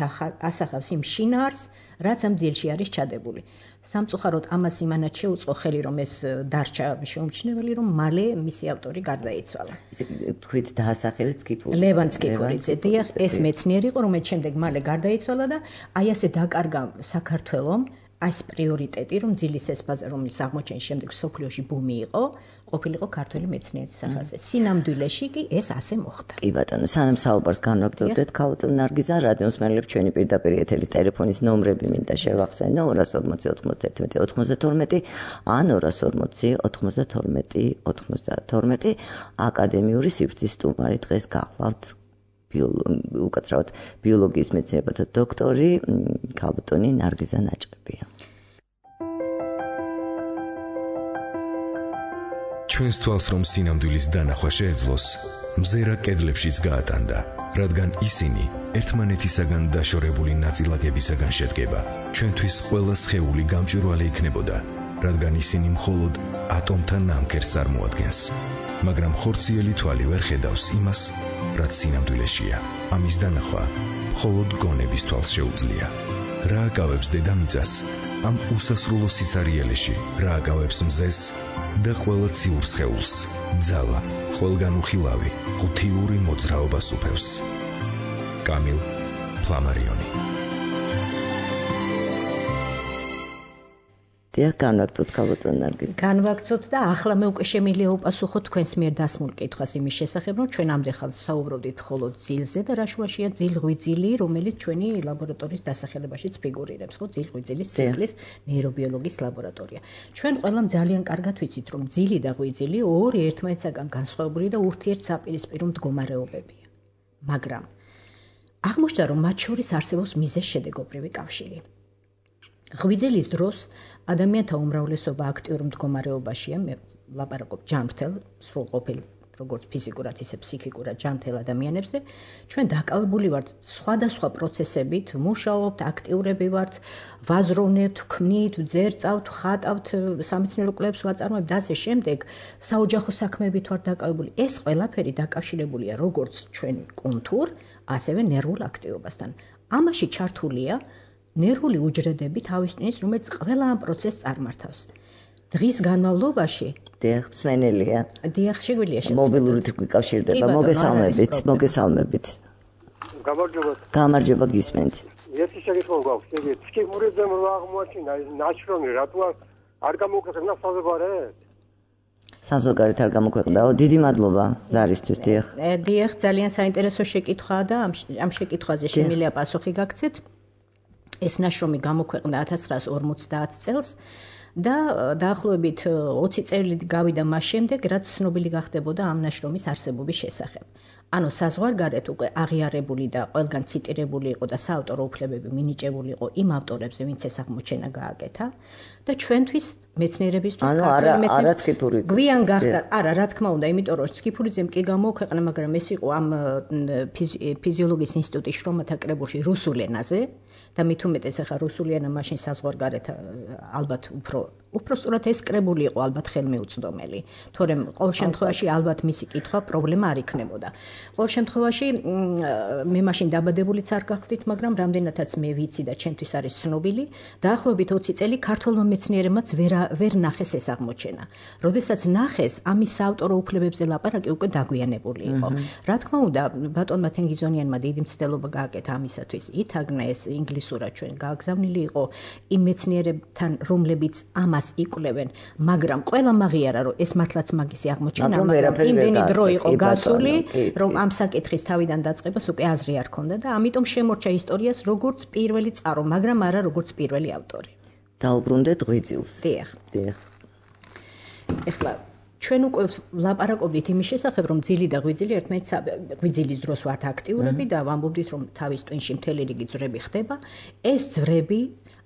ასახავს იმ შინაარს, რაც ამ ძილში არის ჩადებული. სამწუხაროდ ამას იმანად შეუწყო ხელი, რომ ეს დარჩა შეუმჩნეველი, რომ მალე მისი ავტორი გარდაიცვალა. ისე თქვით დაასახელეთ ცქიფურიძე. ლევან ცქიფურიძე, დიახ, ეს მეცნიერი იყო, რომელიც შემდეგ მალე გარდაიცვალა და აი ასე დაკარგა საქართველომ ეს პრიორიტეტი, რომ ძილის ეს ფაზა, რომელიც აღმოჩენის შემდეგ სოფლიოში ბუმი იყო, ყოფილიყო ქართველი მეცნიერის სახაზე. სინამდვილეში კი ეს ასე მოხდა. კი ბატონო, სანამ საუბარს განვაგრძობდეთ, ქალბატონ ნარგიზა, რადიოს მსმენელებს ჩვენი პირდაპირ ეთერის ტელეფონის ნომრები მინდა შევახსენო 240 91 92 ან 240 92 92 აკადემიური სივრცის სტუმარი დღეს გახლავთ უკაცრავად ბიოლოგიის მეცნიერებათა დოქტორი ქალბატონი ნარგიზა ნაჭყებია. ჩვენს თვალს რომ სინამდვილის დანახვა შეეძლოს, მზერა კედლებშიც გაატანდა, რადგან ისინი ერთმანეთისაგან დაშორებული ნაწილაკებისაგან შედგება. ჩვენთვის ყველა სხეული გამჭვირვალე იქნებოდა, რადგან ისინი მხოლოდ ატომთა ნამქერს წარმოადგენს. მაგრამ ხორციელი თვალი ვერ ხედავს იმას, რაც სინამდვილეშია. ამის დანახვა მხოლოდ გონების თვალს შეუძლია. რა აკავებს დედამიწას ამ უსასრულო სიცარიელეში, რა აკავებს მზეს და ყველა ციურ სხეულს, ძალა, ყველგან უხილავი, ღუთიური მოძრაობა სუფევს. კამილ ფლამარიონი. დიახ, განვაგრძოთ ქალბატონ ნარგიზა. განვაგრძოთ და ახლა მე უკვე შემიძლია უპასუხოთ თქვენს მიერ დასმულ კითხვას იმის შესახებ, რომ ჩვენ ამდენ საუბრობდით მხოლოდ ძილზე და რა შუაშია ძილღვიძლი, რომელიც ჩვენი ლაბორატორიის დასახელებაშიც ფიგურირებს, ხო, ძილღვიძლის ციკლის ნეირობიოლოგიის ლაბორატორია. ჩვენ ყველამ ძალიან კარგად ვიცით, რომ ძილი და ღვიძლი ორი ერთმანეთისაგან განსხვავებული და ურთიერთსაპირისპირო მდგომარეობებია. მაგრამ აღმოჩნდა, რომ მათ შორის არსებობს მიზეზ-შედეგობრივი კავშირი. ღვიძლის დროს ადამიანთა უმრავლესობა აქტიურ მდგომარეობაშია, მე ლაპარაკობ ჯანმრთელ, სრულყოფილ როგორც ფიზიკურად, ისე ფსიქიკურად ჯანმრთელ ადამიანებზე, ჩვენ დაკავებული ვართ სხვადასხვა პროცესებით, მუშაობთ, აქტიურები ვართ, ვაზროვნებთ, ქმნით, ვძერწავთ, ხატავთ, სამეცნიერო კვლევებს ვაწარმოებთ და ასე შემდეგ, საოჯახო საქმეებით ვართ დაკავებული. ეს ყველაფერი დაკავშირებულია როგორც ჩვენ კუნთურ, ასევე ნერვულ აქტივობასთან. ამაში ჩართულია ნერვული უჯრედები თავისთავად, რომელიც ყველა ამ პროცესს წარმართავს. დღის განმავლობაში დიახ, მსმენელია. დიახ, შეგვიძლია მობილურით გვიკავშირდება. მოგესალმებით. გამარჯობა გისმენთ. ერთი შეგეხო გვაქვს, ეგ ფსიქურიზმ რო აღმოაჩინა, ნაშრომი რატო არ გამოქვეყნა საზოგადოებრივ? საზოგადოებრივ არ გამოქვეყნდაო. დიდი მადლობა ზარისთვის, დიახ. დიახ, ძალიან საინტერესო შეკითხვაა და ამ შეკითხვაზე შემიძლია პასუხი გაგცეთ. ეს ნაშრომი გამოქვეყნდა 1950 წელს და დაახლოებით 20 წელი გავიდა მას შემდეგ, რაც ცნობილი გახდებოდა ამ ნაშრომის არსებობის შესახებ. ანუ საზღვარგარეთ უკვე აღიარებული და ყველგან ციტირებული იყო და საავტორო უფლებები მინიჭებული იყო იმ ავტორებზე, ვინც ეს აღმოჩენა გააკეთა და ჩვენთვის მეცნიერებისთვის ქართული მეცნიერებისთვის გვიან გახდა. არა, რა თქმა უნდა, იმიტომ რომ სკიფურიძემ კი გამოქვეყნა, მაგრამ ეს იყო ამ ფიზიოლოგიის ინსტიტუტის შრომათა კრებულში რუსულ ენაზე. და მით უმეტეს ახლა რუსული ენა მაშინ საზღვარგარეთ ალბათ უფრო სწორად ეს კრებული იყო ალბათ ხელმეუწვდომელი. თორემ ყოველ შემთხვევაში ალბათ მისი კითხვა პრობლემა არ იქნებოდა. ყოველ შემთხვევაში მე მაშინ დაბადებულიც არ გახდით, მაგრამ რამდენადაც მე ვიცი და ჩემთვის არის ცნობილი, დაახლოებით 20 წელი ქართველმა მეცნიერებმაც ვერ ნახეს ეს აღმოჩენა. როდესაც ნახეს, ამის საავტორო უფლებებზე ლაპარაკი უკვე დაგვიანებული იყო. რა თქმა უნდა, ბატონმა თენგიზონიანმა დიდი მცდელობა გააკეთა ამისათვის. ითაგნა ეს ინგლისურად ჩვენ გააგზავნილი იყო იმ მეცნიერებთან, რომლებიც ამას იკვლევენ, მაგრამ ყველა მაღიარა რომ ეს მართლაც მაგისი აღმოჩენა, მაგრამ იმდენი დრო იყო გასული, რომ ამ საკითხის თავიდან დაწყებას უკვე აზრი არ ქონდა და ამიტომ შემორჩა ისტორიას როგორც პირველი წყარო, მაგრამ არა როგორც პირველი ავტორი. დაუბრუნდეთ ღვიძლს. დიახ. ეხლა ჩვენ უკვე ლაპარაკობდით იმის შესახებ, რომ ძილი და ღვიძლი ერთმანეთს ღვიძლის დროს ვართ აქტიურები და ვამბობდით, რომ თავის ტვინში მთელი რიგი ძვრები ხდება. ეს ძვრები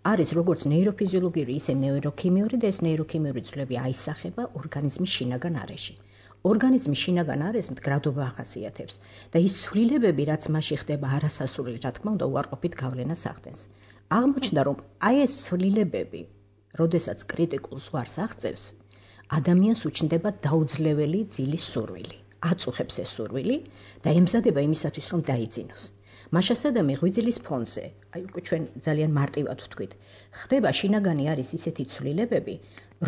არის როგორც ნეიროფიზიოლოგიური, ისე ნეიროქიმიური და ეს ნეიროქიმიური ძვლები აისახება ორგანიზმის შინაგან არეში. ორგანიზმის შინაგან არეს მდგრადობა ახასიათებს და ის ცვლილებები, რაც მასში ხდება არასასურველი, რა თქმა უნდა, უარყოფით გავლენას ახდენს. აღმოჩნდა, რომ აი ეს ცვლილებები, როდესაც კრიტიკულ ზღვარს აღწევს, ადამიანს უჩნდება დაუძლეველი ძილის სურვილი. აწუხებს ეს სურვილი და ემზადება იმისათვის, რომ დაიძინოს. მაშასადამე ღვიძლის ფონზე, აი უკვე ჩვენ ძალიან მარტივად ვთქვით, ხდება შინაგანი არის ისეთი ცვლილებები,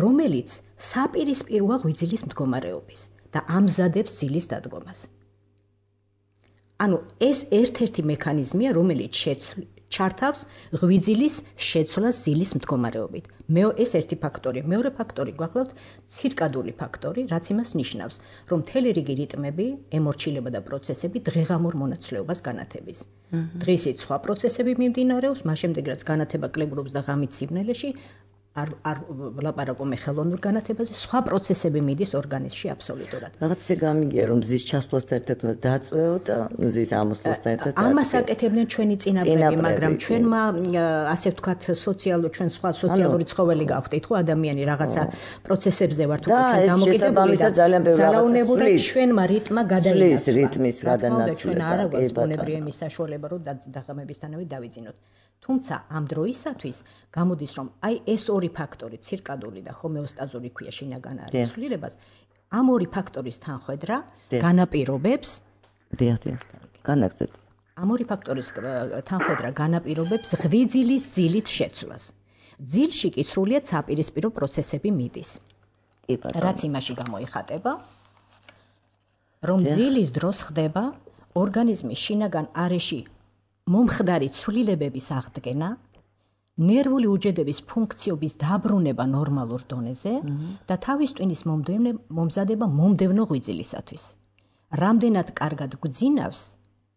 რომელიც საპირისპიროა ღვიძლის მდგომარეობის და ამზადებს ძილის დადგომას. ანუ ეს ერთ-ერთი მექანიზმია, რომელიც ჩართავს ღვიძლის შეცვლას ძილის მდგომარეობით. ეს ერთი ფაქტორია. მეორე ფაქტორი გვახლავთ ცირკადული ფაქტორი, რაც იმას ნიშნავს, რომ მთელი რიგი რიტმები, ემორჩილება და პროცესები დღეღამურ მონაცვლეობას განათების. დღისით სხვა პროცესები მიმდინარეობს, მას შემდეგ რაც განათება კლებულობს და ღამით სიბნელეში, არ ვლაპარაკო მე ხელოვნურ განათებაზე, სხვა პროცესები მიდის ორგანიზმში აბსოლუტურად. რაღაც ისე გამიგია, რომ მზის ჩასვლასთან ერთად დაწვეო და მზის ამოსვლასთან ერთად. ამას აკეთებდნენ ჩვენი წინაპრები, მაგრამ ჩვენმა ასე ვთქვათ, ჩვენ სხვა სოციალური ცხოველი გავხდით, ხო, ადამიანი რაღაცა პროცესებზე ვართ უკვე ჩვენ დამოკიდებული და ძალიან ბევრი რაღაცა ჩვენმა რიტმა გადაინაცვლა. რიტმის გადანაცვლა. ჩვენ არა გვაქვს ბუნებრივი იმის საშუალება, რომ დაღამებისთანავე დავიძინოთ. თუმცა ამ დროისათვის გამოდის, რომ აი ეს ორი ფაქტორი, ცირკადული და ჰომეოსტაზური ქვია შინაგან არის ცვლილებას, ამ ორი ფაქტორის თანხვედრა განაპირობებს განაგზეთ. ამ ორი ფაქტორის თანხვედრა განაპირობებს ღვიძლის ძილით შეცვლას. ძილში კი სრულიად საპირისპირო პროცესები მიდის. რაც იმაში გამოიხატება, რომ ძილის დროს ხდება ორგანიზმის შინაგან არეში მომხდარი ცვლილებების აღდგენა, ნერვული უჯრედების ფუნქციების დაბრუნება ნორმალურ დონეზე და თავის ტვინის მომზადება მომდევნო ღვიძლისათვის. რამდენად კარგად გვძინავს,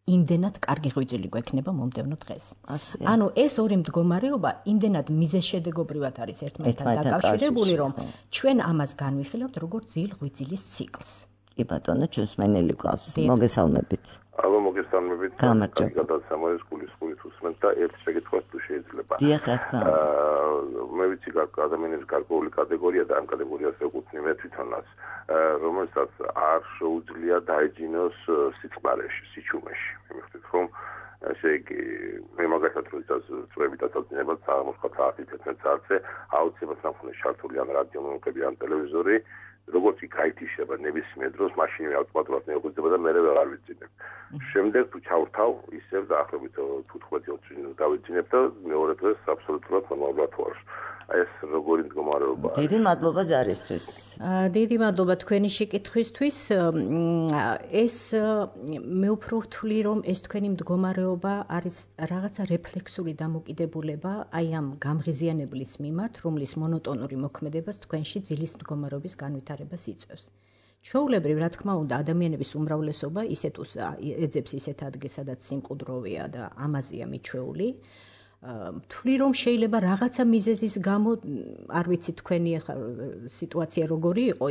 იმდენად კარგი ღვიძლი გვექნება მომდევნო დღეს. ანუ ეს ორი მდგომარეობა იმდენად მიზეზშედეგობრივად არის ერთმანეთთან დაკავშირებული, რომ ჩვენ ამას განვიხილავთ როგორც ძილ-ღვიძლის ციკლს. კი ბატონო, ჩვენს მენელი გვყავს. მოგესალმებით. ალბათ მოგესალმებით. გადასამოეს სკოლის უსმენთ და ერთ შეკითხვას თუ შეიძლება. დიახ, რა თქმა უნდა. მე ვიცი ადამიანების გარკვეული კატეგორია და ამ კატეგორიას ეკუთვნი მე თვითონაც, რომელსაც არ შეუძლია დაეძინოს სიწყნარეში, სიჩუმეში. მივხვდით რომ ესე იგი მე მაგასაც როდესაც წვევით აწვდინება საღამოს 9:11 საათზე აუცილებლად სამხურე შართული ან რადიო მომხები ან ტელევიზორი როგორც კი გაითიშება ნებისმიერ დროს მაშინვე ავტომატურად მეუღდება და მე ვეღარ ვიცინებ. შემდეგ თუ ჩავრთავ ისევ დაახლოებით 15-20 დავიძინებ და მეორე დღეს აბსოლუტურად ნორმალურად ვარ. ეს როგორი მდგომარეობა არის? დიდი მადლობა ზარისთვის. დიდი მადლობა თქვენი შეკითხვისთვის. ეს მე უფრო ვთვლი რომ ეს თქვენი მდგომარეობა არის რაღაცა რეფლექსური დამოკიდებულება აი ამ გამღიზიანებლის მიმართ, რომლის მონოტონური მოქმედებას თქვენში ძილის მდგომარეობის განვითარებას იწვევს. ჩვეულებრივ, რა თქმა უნდა, ადამიანების უმრავლესობა ისეთ ეძებს ისეთ ადგილს, სადაც სიმყუდროვეა და ამაზეა მიჩვეული. ვთვლი რომ შეიძლება რაღაცა მიზეზის გამო არ ვიცი თქვენი სიტუაცია როგორი იყო,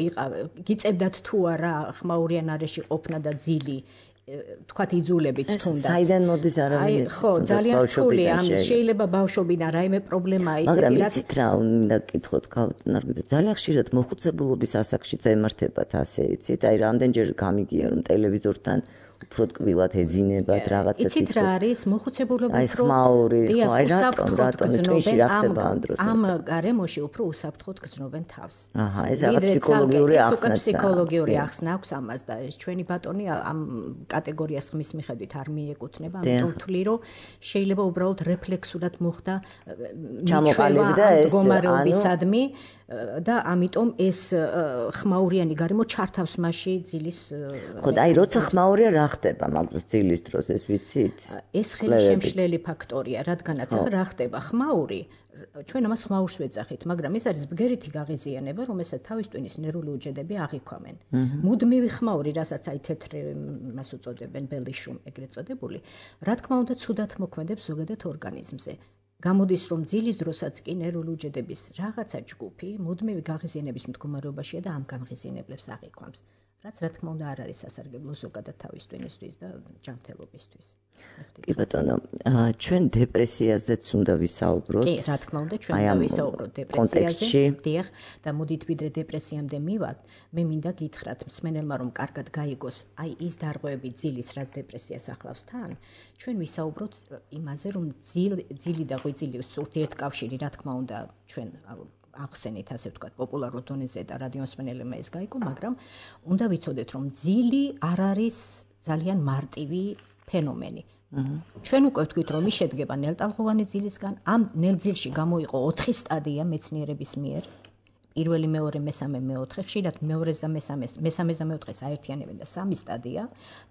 გიწევდათ თუ არა ხმაურიან არეში ყოფნა და ძილი თქვათ იძულებით თუნდაც. საიდან მოდის არავინ ხო, ძალიან რთული ამის შეიძლება ბავშვობიდან რაიმე პრობლემაა ისეთი მაგრამ იცით რა უნდა გითხოთ ქალბატონო, ძალიან ხშირად მოხუცებულობის ასაკშიც ემართებათ ასე იცით, აი რამდენჯერ გამიგია რომ ტელევიზორთან უფრო ტკბილად ეძინებათ რაღაცა იცით რა არის მოხუცებულობა აი ხმაური ხო აი რატომ ტვინში რა ხდება ამ დროს ამ გარემოში უფრო უსაფრთხოდ გრძნობენ თავს აჰა ეს რაღაც ფსიქოლოგიური ახსნა ფსიქოლოგიური ახსნა აქვს ამას და ეს ჩვენი ბატონი ამ კატეგორიას ხმის მიხედვით არ მიეკუთვნება ამიტომ ვთვლი რომ შეიძლება უბრალოდ რეფლექსურად მოხდა ჩამოყალიბდა ეს მდგომარეობისადმი და ამიტომ ეს ხმაურიანი გარემო ჩართავს მასში ძილის ხო და აი როცა ხმაურია რა ხდება მაგდროს ძილის დროს ეს ვიცით ეს ხელშემშლელი ფაქტორია რადგანაც რა ხდება ხმაური ჩვენ ამას ხმაურს ვეძახით მაგრამ ეს არის ბგერითი გაღიზიანება რომელსაც თავის ტვინის ნერვული უჯედები აღიქვამენ მუდმივი ხმაური რასაც აი თეთრი მას უწოდებენ ბელიშუმ ეგრეთ წოდებული რა თქმა უნდა ცუდად მოქმედებს ზოგადად ორგანიზმზე გამოდის რომ ძილის დროსაც კი ნერვული უჯედების რაღაცა ჯგუფი მუდმივი გაღიზიანების მდგომარეობაშია და ამ გამღიზიანებლებს აღიქვამს რაც რა თქმა უნდა არ არის სასარგებლო ზოგადად თავის ტვინისთვის და ჯანმრთელობისთვის. კი ბატონო, ჩვენ დეპრესიაზეც უნდა ვისაუბროთ. კი, რა თქმა უნდა, ჩვენ უნდა ვისაუბროთ დეპრესიაზე. დიახ, და მოდით ვიდრე დეპრესიამდე მივართ, მე მინდა გითხრათ მსმენელმა რომ კარგად გაიგოს, აი ის დარღვევები ძილის, რაც დეპრესიას ახლავს თან, ჩვენ ვისაუბროთ იმაზე, რომ ძილი და ღვიძლის ურთიერთკავშირი, რა თქმა უნდა, ჩვენ ახსენით ასე ვთქვათ პოპულარულ დონეზე და რადიოსმენელებმა ეს გაიგო, მაგრამ უნდა ვიცოდეთ რომ ძილი არ არის ძალიან მარტივი ფენომენი. ჩვენ უკვე ვთქვით რომ ის შედგება ნელტალღოვანი ძილისგან, ამ ნელძილში გამოიყო 4 სტადია მეცნიერების მიერ. პირველი, მეორე, მესამე, მეოთხე, ხშირად მეორეს და მესამეს და მეოთხეს აერთიანებენ და 3 სტადია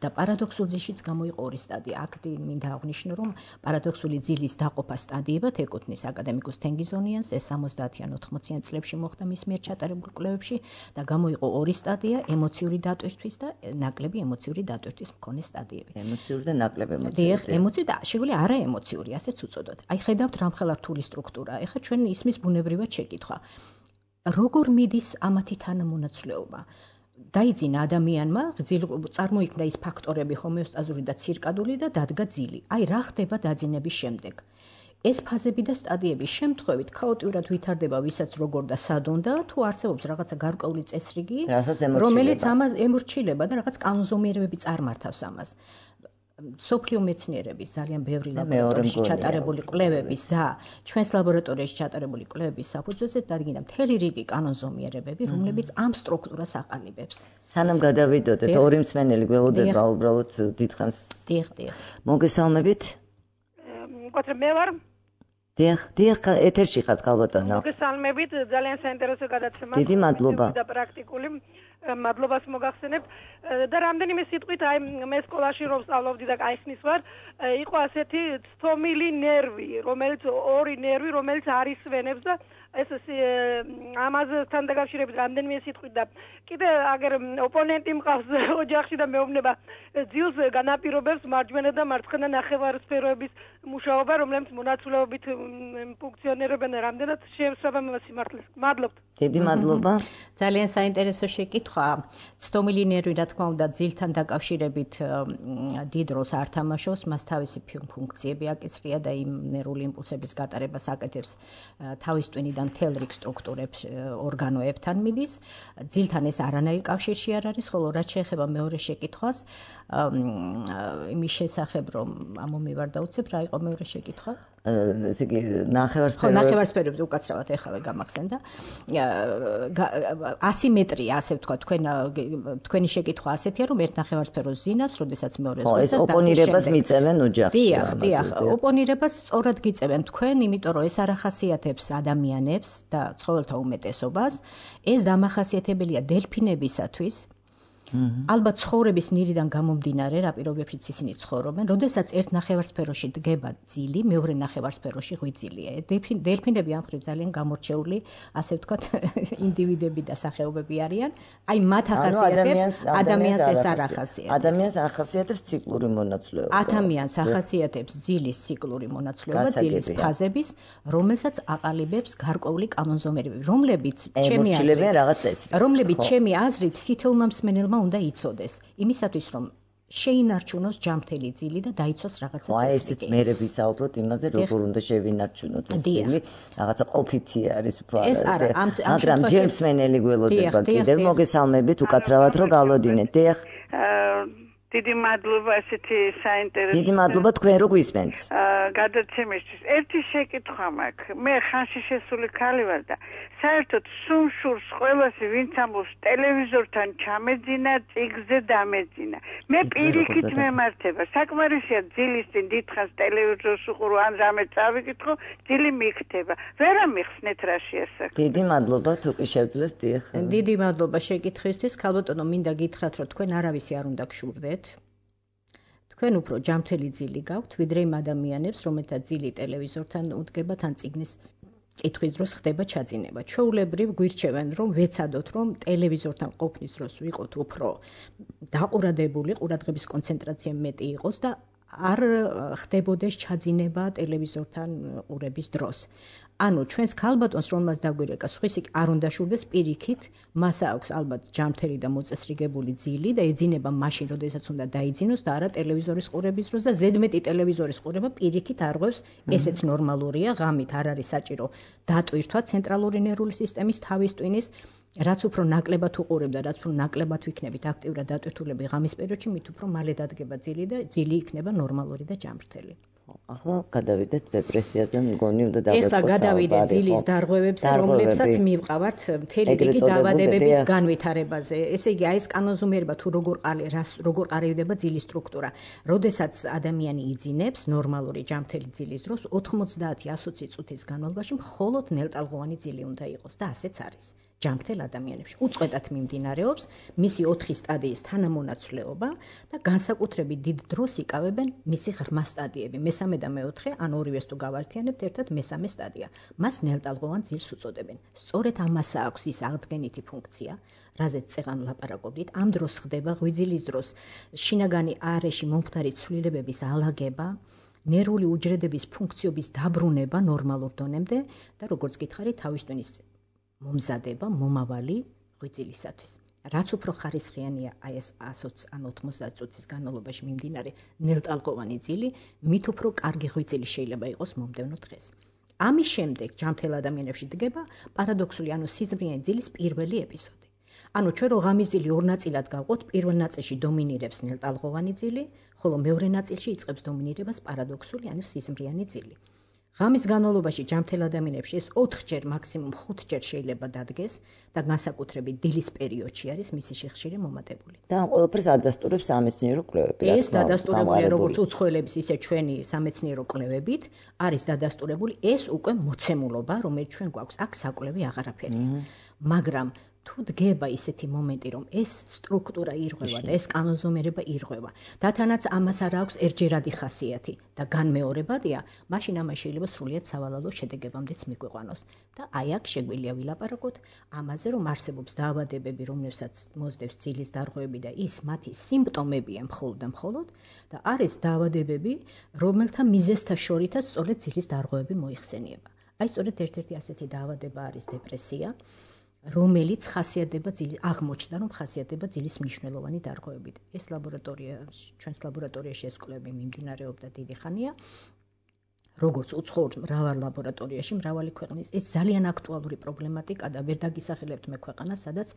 და პარადოქსულ ძილშიც გამოიყო 2 სტადია. აქ მინდა აღვნიშნო, რომ პარადოქსული ძილის დაყოფა სტადიებად ეკუთვნის აკადემიკოს თენგიზონიანს, ეს 70-იან 80-იან წლებში მოხდა მის მიერ ჩატარებულ კვლევებში და გამოიყო 2 სტადია ემოციური დატვირთვის და ნაკლები ემოციური დატვირთვის მქონე სტადიები. ემოციური და ნაკლები ემოციური. დიახ, ემოციური და შეგვიძლია არა ემოციური, ასეც უწოდოთ. აი ხედავთ რამხელა რთული სტრუქტურა. ეხლა ჩვენ ისმის ბუნებრივად შეკითხვა. როგორ მიდის ამათი თანამონაცვლეობა? დაიძინა ადამიანმა, წარმოიქმნა ის ფაქტორები ჰომეოსტაზური და ცირკადული და დადგა ძილი. აი რა ხდება დაძინების შემდეგ? ეს ფაზები და სტადიების შემთხვევით ქაოტიურად ვითარდება, ვისაც როგორ და სად უნდა, თუ არსებობს რაღაცა გარკვეული წესრიგი, რომელიც ამას ემორჩილება და რაღაც კანონზომიერებები წარმართავს ამას. სოფლიო მეცნიერების ძალიან ბევრი ლაბორატორიაში ჩატარებული კვლევების და ჩვენს ლაბორატორიაში ჩატარებული კვლევების საფუძველზე დადგინდა მთელი რიგი კანონზომიერებები, რომლებიც ამ სტრუქტურას აყალიბებს. სანამ გადავიდოდეთ, ორი მსმენელი გველოდება უბრალოდ დიდხანს. დიახ. მოგესალმებით? მკვეთრე მე ვარ. დიახ, ეთერში ხართ ქალბატონო. მოგესალმებით, ძალიან საინტერესო გადაცემა. დიდი მადლობა. და პრაქტიკული მადლობას მოგახსენებ და რამდენიმე სიტყვით აი მე სკოლაში რომ სწავლობდი და კაიხნის ვარ იყო ასეთი ცთომილი ნერვი რომელიც ორი ნერვი რომელიც არის ვენებს და ეს ამასთან დაკავშირებით რამდენიმე სიტყვით და კიდე აგერ ოპონენტი მყავს ოჯახში და მეუბნება ძილს განაპირობებს მარჯვენა და მარცხენა ნახევარსფეროების მუშაობა, რომლებიც მონაცვლეობით ფუნქციონირებენ რამდენად შეესაბამება სიმართლეს. მადლობთ. დიდი მადლობა. ძალიან საინტერესო შეკითხვა. ცდომილი ნერვი, რა თქმა უნდა, ძილთან დაკავშირებით დიდ როლს არ თამაშობს, მას თავისი ფუნქციები აკისრია და იმ ნერვული იმპულსების გატარებას აკეთებს თავის ტვინიდან მთელ რიგ სტრუქტურებს, ორგანოებთან მიდის. ძილთან ეს არანაირ კავშირში არ არის, ხოლო რაც შეეხება მეორე შეკითხვას, იმის შესახებ, რომ ამომივარ დავუცებ, რა იყო მეორე შეკითხვა? ესე იგი ნახევარსფეროებზე უკაცრავად ეხავე გამახსენდა. ასიმეტრია, ასე ვთქვა, თქვენი შეკითხვა ასეთია, რომ ერთ ნახევარსფეროს ზინავს, როდესაც მეორეს ხო, ეს ოპონირებას მიწევენ ოჯახში. დიახ, ოპონირებას სწორად გიწევენ თქვენ, იმიტომ რომ ეს არ ახასიათებს ადამიანებს და ცხოველთა უმეტესობას. ეს დამახასიათებელია დელფინებისათვის. ალბათ ცხოვრების ნირიდან გამომდინარე, რა პირობებშიც ისინი ცხოვრობენ, როდესაც ერთ ნახევარსფეროში დგება ძილი, მეორე ნახევარსფეროში ღვიძლია. დელფინები ამ მხრივ ძალიან გამორჩეული, ასე ვთქვათ, ინდივიდები და სახეობები არიან. აი მათ ახასიათებს ადამიანს ეს არ ახასიათებს. ადამიანს ახასიათებს ციკლური მონაცვლეობა. ადამიანს ახასიათებს ძილის ციკლური მონაცვლეობა, ძილის ფაზების, რომელსაც აყალიბებს გარკვეული კანონზომიერები, რომლებიც ჩემი აზრით თითოეულმა მსმენელმა უნდა იცოდეს იმისათვის რომ შეინარჩუნოს ჯამთელი ძილი და დაიცვას რაღაცა წესი. ესეც მერე ვისაუბროთ იმაზე როგორ უნდა შევინარჩუნოთ ეს ძილი, რაღაცა ყოფითი არის უფრო მაგრამ ჯერ მსმენელი გველოდება კიდევ მოგესალმებით უკაცრავად რომ გავლოდინეთ. დიახ. დიდი მადლობა ესეთი საინტერესო. დიდი მადლობა თქვენ რო გვისმენთ. გადაცემისთვის ერთი შეკითხვა მაქვს. მე ხანში შესული ქალი ვარ და საერთოდ სუმშურს ყველასი ვინც ამბობს ტელევიზორთან ჩამეძინა, წიგზე დამეძინა. მე პირიქით მემართება. საკმარისია ძილის წინ დიდხანს ტელევიზორს უყურო ან რამე წავიკითხო, ძილი მიქთება. ვერ ამიხსნეთ რა შეასახა. დიდი მადლობა თუ კი შევძლებთ. დიახ. დიდი მადლობა შეკითხვისთვის. ქალბატონო, მინდა გითხრათ, რომ თქვენ არავისი არ უნდა გშურდეთ. თქვენ უფრო ჯამთელი ძილი გაქვთ, ვიდრე იმ ადამიანებს, რომელთა ძილი ტელევიზორთან უდგება თან წიგნის კითხვის დროს ხდება ჩაძინება. ჩვეულებრივ გვირჩევენ, რომ ვეცადოთ, რომ ტელევიზორთან ყოფნის დროს ვიყოთ უფრო დაყურადებული, ყურადღების კონცენტრაცია მეტი იყოს და არ ხდებოდეს ჩაძინება ტელევიზორთან ყურების დროს. ანუ ჩვენს ქალბატონს რომელსაც დაგვირეკა სხვისი არ უნდა შურდეს პირიქით, მას აქვს ალბათ ჯამთელი და მოწესრიგებული ძილი და ეძინება მაშინ, როდესაც უნდა დაიძინოს და არა ტელევიზორის ყურების დროს და ზედმეტი ტელევიზორის ყურება პირიქით არღვევს, ესეც ნორმალურია, ღამით არ არის საჭირო დატვირთვა ცენტრალური ნერვული სისტემის თავის ტვინის, რაც უფრო ნაკლებად უყურებ და რაც უფრო ნაკლებად ვიქნებით აქტიურად დატვირთულები ღამის პერიოდში, მით უფრო მალე დადგება ძილი და ძილი იქნება ნორმალური და ჯამრთელი. ახლა გადავიდეთ დეპრესიაზე, მგონი უნდა დავიწყოთ. ეხლა გადავიდეთ ძილის დარღვევებზე, რომლებსაც მივყავართ მთელი რიგი დაავადებების განვითარებაზე. ესე იგი, აი ეს კანონზომიერება თუ როგორ ყალიბდება ძილის სტრუქტურა. როდესაც ადამიანი იძინებს ნორმალური ჯამთელი ძილის დროს 90-120 წუთის განმავლობაში მხოლოდ ნელტალღოვანი ძილი უნდა იყოს და ასეც არის. ჯამთელ ადამიანებში უწყვეტად მიმდინარეობს მისი 4 სტადიის თანამონაცვლეობა და განსაკუთრებით დიდ დროს იკავებენ მისი ღრმა სტადიები. მესამე და მეოთხე, ან ორივეს თუ გავართიანებთ, ერთად მესამე სტადია. მას ნელტალღოვან ძილს უწოდებენ. სწორედ ამას აქვს ის აღდგენითი ფუნქცია, რაზეც წეღან ვლაპარაკობდით. ამ დროს ხდება ღვიძლის დროს შინაგანი არეში მომხდარი ცვლილებების ალაგება, ნერვული უჯრედების ფუნქციების დაბრუნება ნორმალურ დონემდე და როგორც გითხარით, თავის ტვინის მომზადება მომავალი ღვიძლისათვის. რაც უფრო ხარისხიანია აი ეს 100 ან 90 წუთის განმავლობაში მიმდინარე ნელტალღოვანი ძილი, მით უფრო კარგი ღვიძლი შეიძლება იყოს მომდევნო დღეს. ამის შემდეგ ჯამთელ ადამიანებში დგება პარადოქსული, ანუ სიზმრიანი ძილის პირველი ეპიზოდი. ანუ ჩვენ რო ღამის ძილი ორ ნაწილად გავყოთ, პირველ ნაწილში დომინირებს ნელტალღოვანი ძილი, ხოლო მეორე ნაწილში იწყებს დომინირებას პარადოქსული, ანუ სიზმრიანი ძილი. ღამის განმავლობაში ჯამთელ ადამიანებში ეს 4ჯერ, მაქსიმუმ 5ჯერ შეიძლება დადგეს და განსაკუთრებით დილის პერიოდში არის მისი სიხშირე მომატებული. და ამ ყველაფერს ადასტურებს სამეცნიერო კვლევები. ეს დადასტურებულია როგორც უცხოელების, ისე ჩვენი სამეცნიერო კვლევებით არის დადასტურებული ეს უკვე მოცემულობა, რომელიც ჩვენ გვაქვს, აქ საკვლევი აღარაფერია. მაგრამ თუ დგება ისეთი მომენტი, რომ ეს სტრუქტურა ირღვევა და ეს კანონზომიერება ირღვევა, დათანაც ამას არ აქვს ერთჯერადი ხასიათი და განმეორებადია, მაშინ ამას შეიძლება სრულიად სავალალო შედეგებამდეც მიგვიყვანოს. და აი აქ შეგვიძლია ვილაპარაკოთ ამაზე, რომ არსებობს დაავადებები, რომლებსაც მოსდევს ძილის დარღვევები და ის მათი სიმპტომებია მხოლოდ და მხოლოდ და არის დაავადებები, რომელთა მიზეზთა შორითაც სწორედ ძილის დარღვევები მოიხსენიება. აი სწორედ ერთ-ერთი ასეთი დაავადება არის დეპრესია, რომელიც ხასიათდება აღმოჩნდა, რომ ხასიათდება ძილის მნიშვნელოვანი დარღვევებით. ეს ჩვენს ლაბორატორიაში ეს კვლევები მიმდინარეობდა დიდი ხანია. როგორც უცხოურ მრავალ ლაბორატორიაში, მრავალი ქვეყნის ეს ძალიან აქტუალური პრობლემატიკა და ვერ დაგისახელებთ მე ქვეყანას, სადაც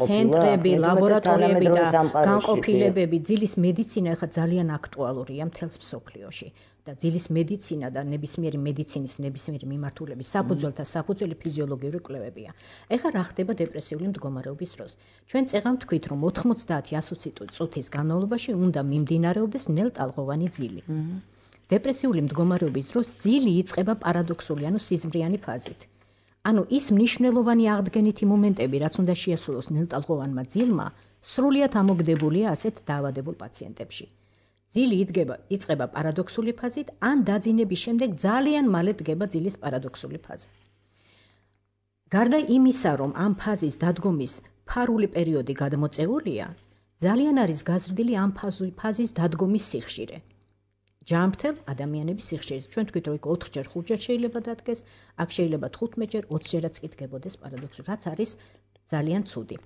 ცენტრები, ლაბორატორიები და განყოფილებები, ძილის მედიცინა ახლა ძალიან აქტუალურია მთელს მსოფლიოში. და ძილის მედიცინა და ნებისმიერი მედიცინის ნებისმიერი მიმართულების საფუძველთა საფუძველი ფიზიოლოგიური კვლევებია. ეხლა რა ხდება დეპრესიული მდგომარეობის დროს? ჩვენ წეღავ თქვით, რომ 90-120 წუთის განმავლობაში უნდა მიმდინარეობდეს ნელტალღოვანი ძილი. დეპრესიული მდგომარეობის დროს ძილი იწყება პარადოქსული, ანუ სიზმრიანი ფაზით. ანუ ის მნიშვნელოვანი აღდგენითი მომენტები, რაც უნდა შეასრულოს ნელტალღოვანმა ძილმა, სრულიად ამოგდებულია ასეთ დაავადებულ პაციენტებში. ძილი იწყება პარადოქსული ფაზით, ან დაძინების შემდეგ ძალიან მალე დგება ძილის პარადოქსული ფაზა. გარდა იმისა, რომ ამ ფაზის დადგომის ფარული პერიოდი გადმოწეულია, ძალიან არის გაზრდილი ამ ფაზის დადგომის სიხშირე. ჯანმრთელ ადამიანების სიხშირეს. ჩვენ თქვით, რომ 4-ჯერ, 5-ჯერ შეიძლება დადგეს, აქ შეიძლება 15-ჯერ, 20-ჯერაც კი დგებოდეს პარადოქსული, რაც არის ძალიან ცუდი.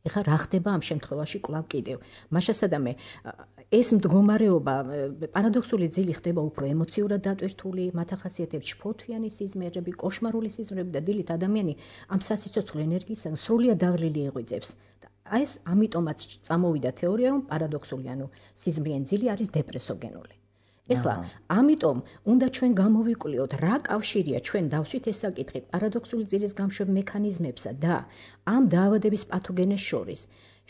ეხლა რა ხდება ამ შემთხვევაში კვლავ კიდევ? მაშასადამე ეს მდგომარეობა პარადოქსული ძილი ხდება უფრო ემოციურად დატვირთული, მათ ახასიათებს შფოთვიანი სიზმრები, კოშმარული სიზმრები და დილით ადამიანი ამ სასიცოცხლო ენერგიისგან სრულიად დაღლილი იღვიძებს. აი ეს ამიტომაც წამოვიდა თეორია, რომ პარადოქსული, ანუ სიზმრიანი ძილი არის დეპრესოგენული. ეხლა ამიტომ უნდა ჩვენ გამოვიკვლიოთ, რა კავშირია ჩვენ დავსვით ეს საკითხი პარადოქსული ძილის გამშვებ მექანიზმებსა და ამ დაავადების პათოგენეს შორის.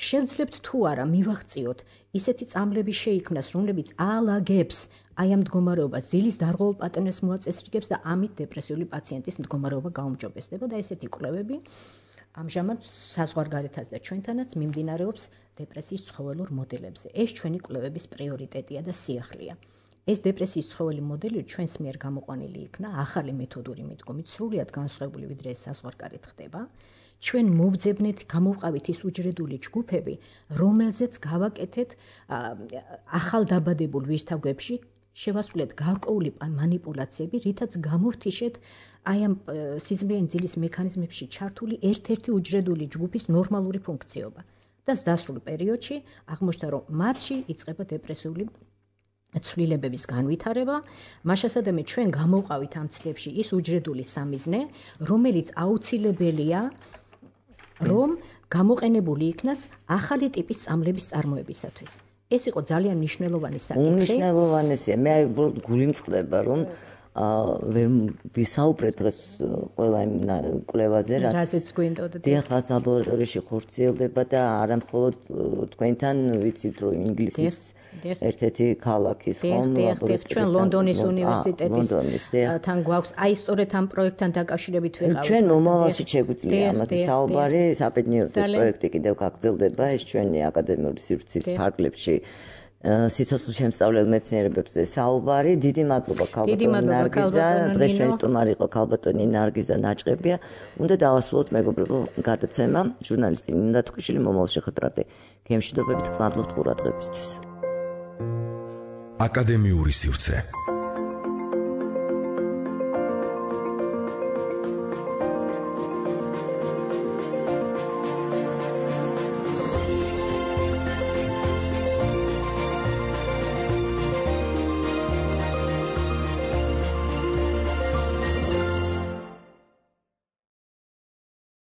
შევძლებთ თუ არა მივაღწიოთ ისეთი წამლები შეიქმნას, რომლებიც აალაგებს აი ამ მდგომარეობას, ძილის დარღვეულ პატერნებს მოაწესრიგებს და ამით დეპრესიული პაციენტის მდგომარეობა გაუმჯობესდება და ესეთი კვლევები ამჟამად საზღვარგარეთაც და ჩვენთანაც მიმდინარეობს დეპრესიის ცხოველურ მოდელებზე. ეს ჩვენი კვლევების პრიორიტეტია და სიახლეა. ეს დეპრესიის ცხოველი მოდელი ჩვენს მიერ გამოყვანილი იქნა ახალი მეთოდური მიდგომით, სრულიად განსხვავებული ვიდრე ეს საზღვარგარეთ ხდება. ჩვენ მოვძებნეთ, გამოვყავით ის უჯრედული ჯგუფები, რომელზეც გავაკეთეთ ახალ დაბადებულ ვირთაგვებში, შევასრულეთ გარკვეული მანიპულაციები, რითაც გამოვთიშეთ აი ამ სიზმრიანი ძილის მექანიზმებში ჩართული ერთ-ერთი უჯრედული ჯგუფის ნორმალური ფუნქციობა. და დასრულ პერიოდში აღმოჩნდა, რომ მათში იწყება დეპრესიული ცვლილებების განვითარება, მაშასადამე ჩვენ გამოვყავით ამ ცდებში ის უჯრედული სამიზნე, რომელიც აუცილებელია, რომ გამოყენებული იქნას ახალი ტიპის წამლების წარმოებისათვის. ეს იყო ძალიან მნიშვნელოვანი საკითხი. უნიშნელოვანესია. მე გული მწყდება, რომ ვერ ვისაუბრეთ დღეს ყველა იმ კვლევაზე, რაზეც გვინდოდა. დიახ, ლაბორატორიაში ხორციელდება და არა მხოლოდ თქვენთან ვიცით, რომ ინგლისის ერთ-ერთი ქალაქის ხომ ლაბორატორია. ჩვენ ლონდონის უნივერსიტეტისთან გვაქვს აი სწორედ ამ პროექტთან დაკავშირებით ვიყავით. ჩვენ მომავალში შეგვიძლია ამაზე საუბარი, საბედნიეროდ ეს პროექტი კიდევ გაგრძელდება, ეს ჩვენი აკადემიური სივრცის ფარგლებში. სიცოცხლის შემსწავლელ მეცნიერებებზე საუბარი. დიდი მადლობა ქალბატონი ნარგიზა. დღეს ჩვენი სტუმარი იყო ქალბატონი ნარგიზა ნაჭყებია. უნდა დავასრულოთ მეგობრებო გადაცემა. ჟურნალისტი ნინო თქუშვილი მომავალ შეხვედრამდე. გემშვიდობებით, გმადლობთ ყურადღებისთვის. აკადემიური სივრცე.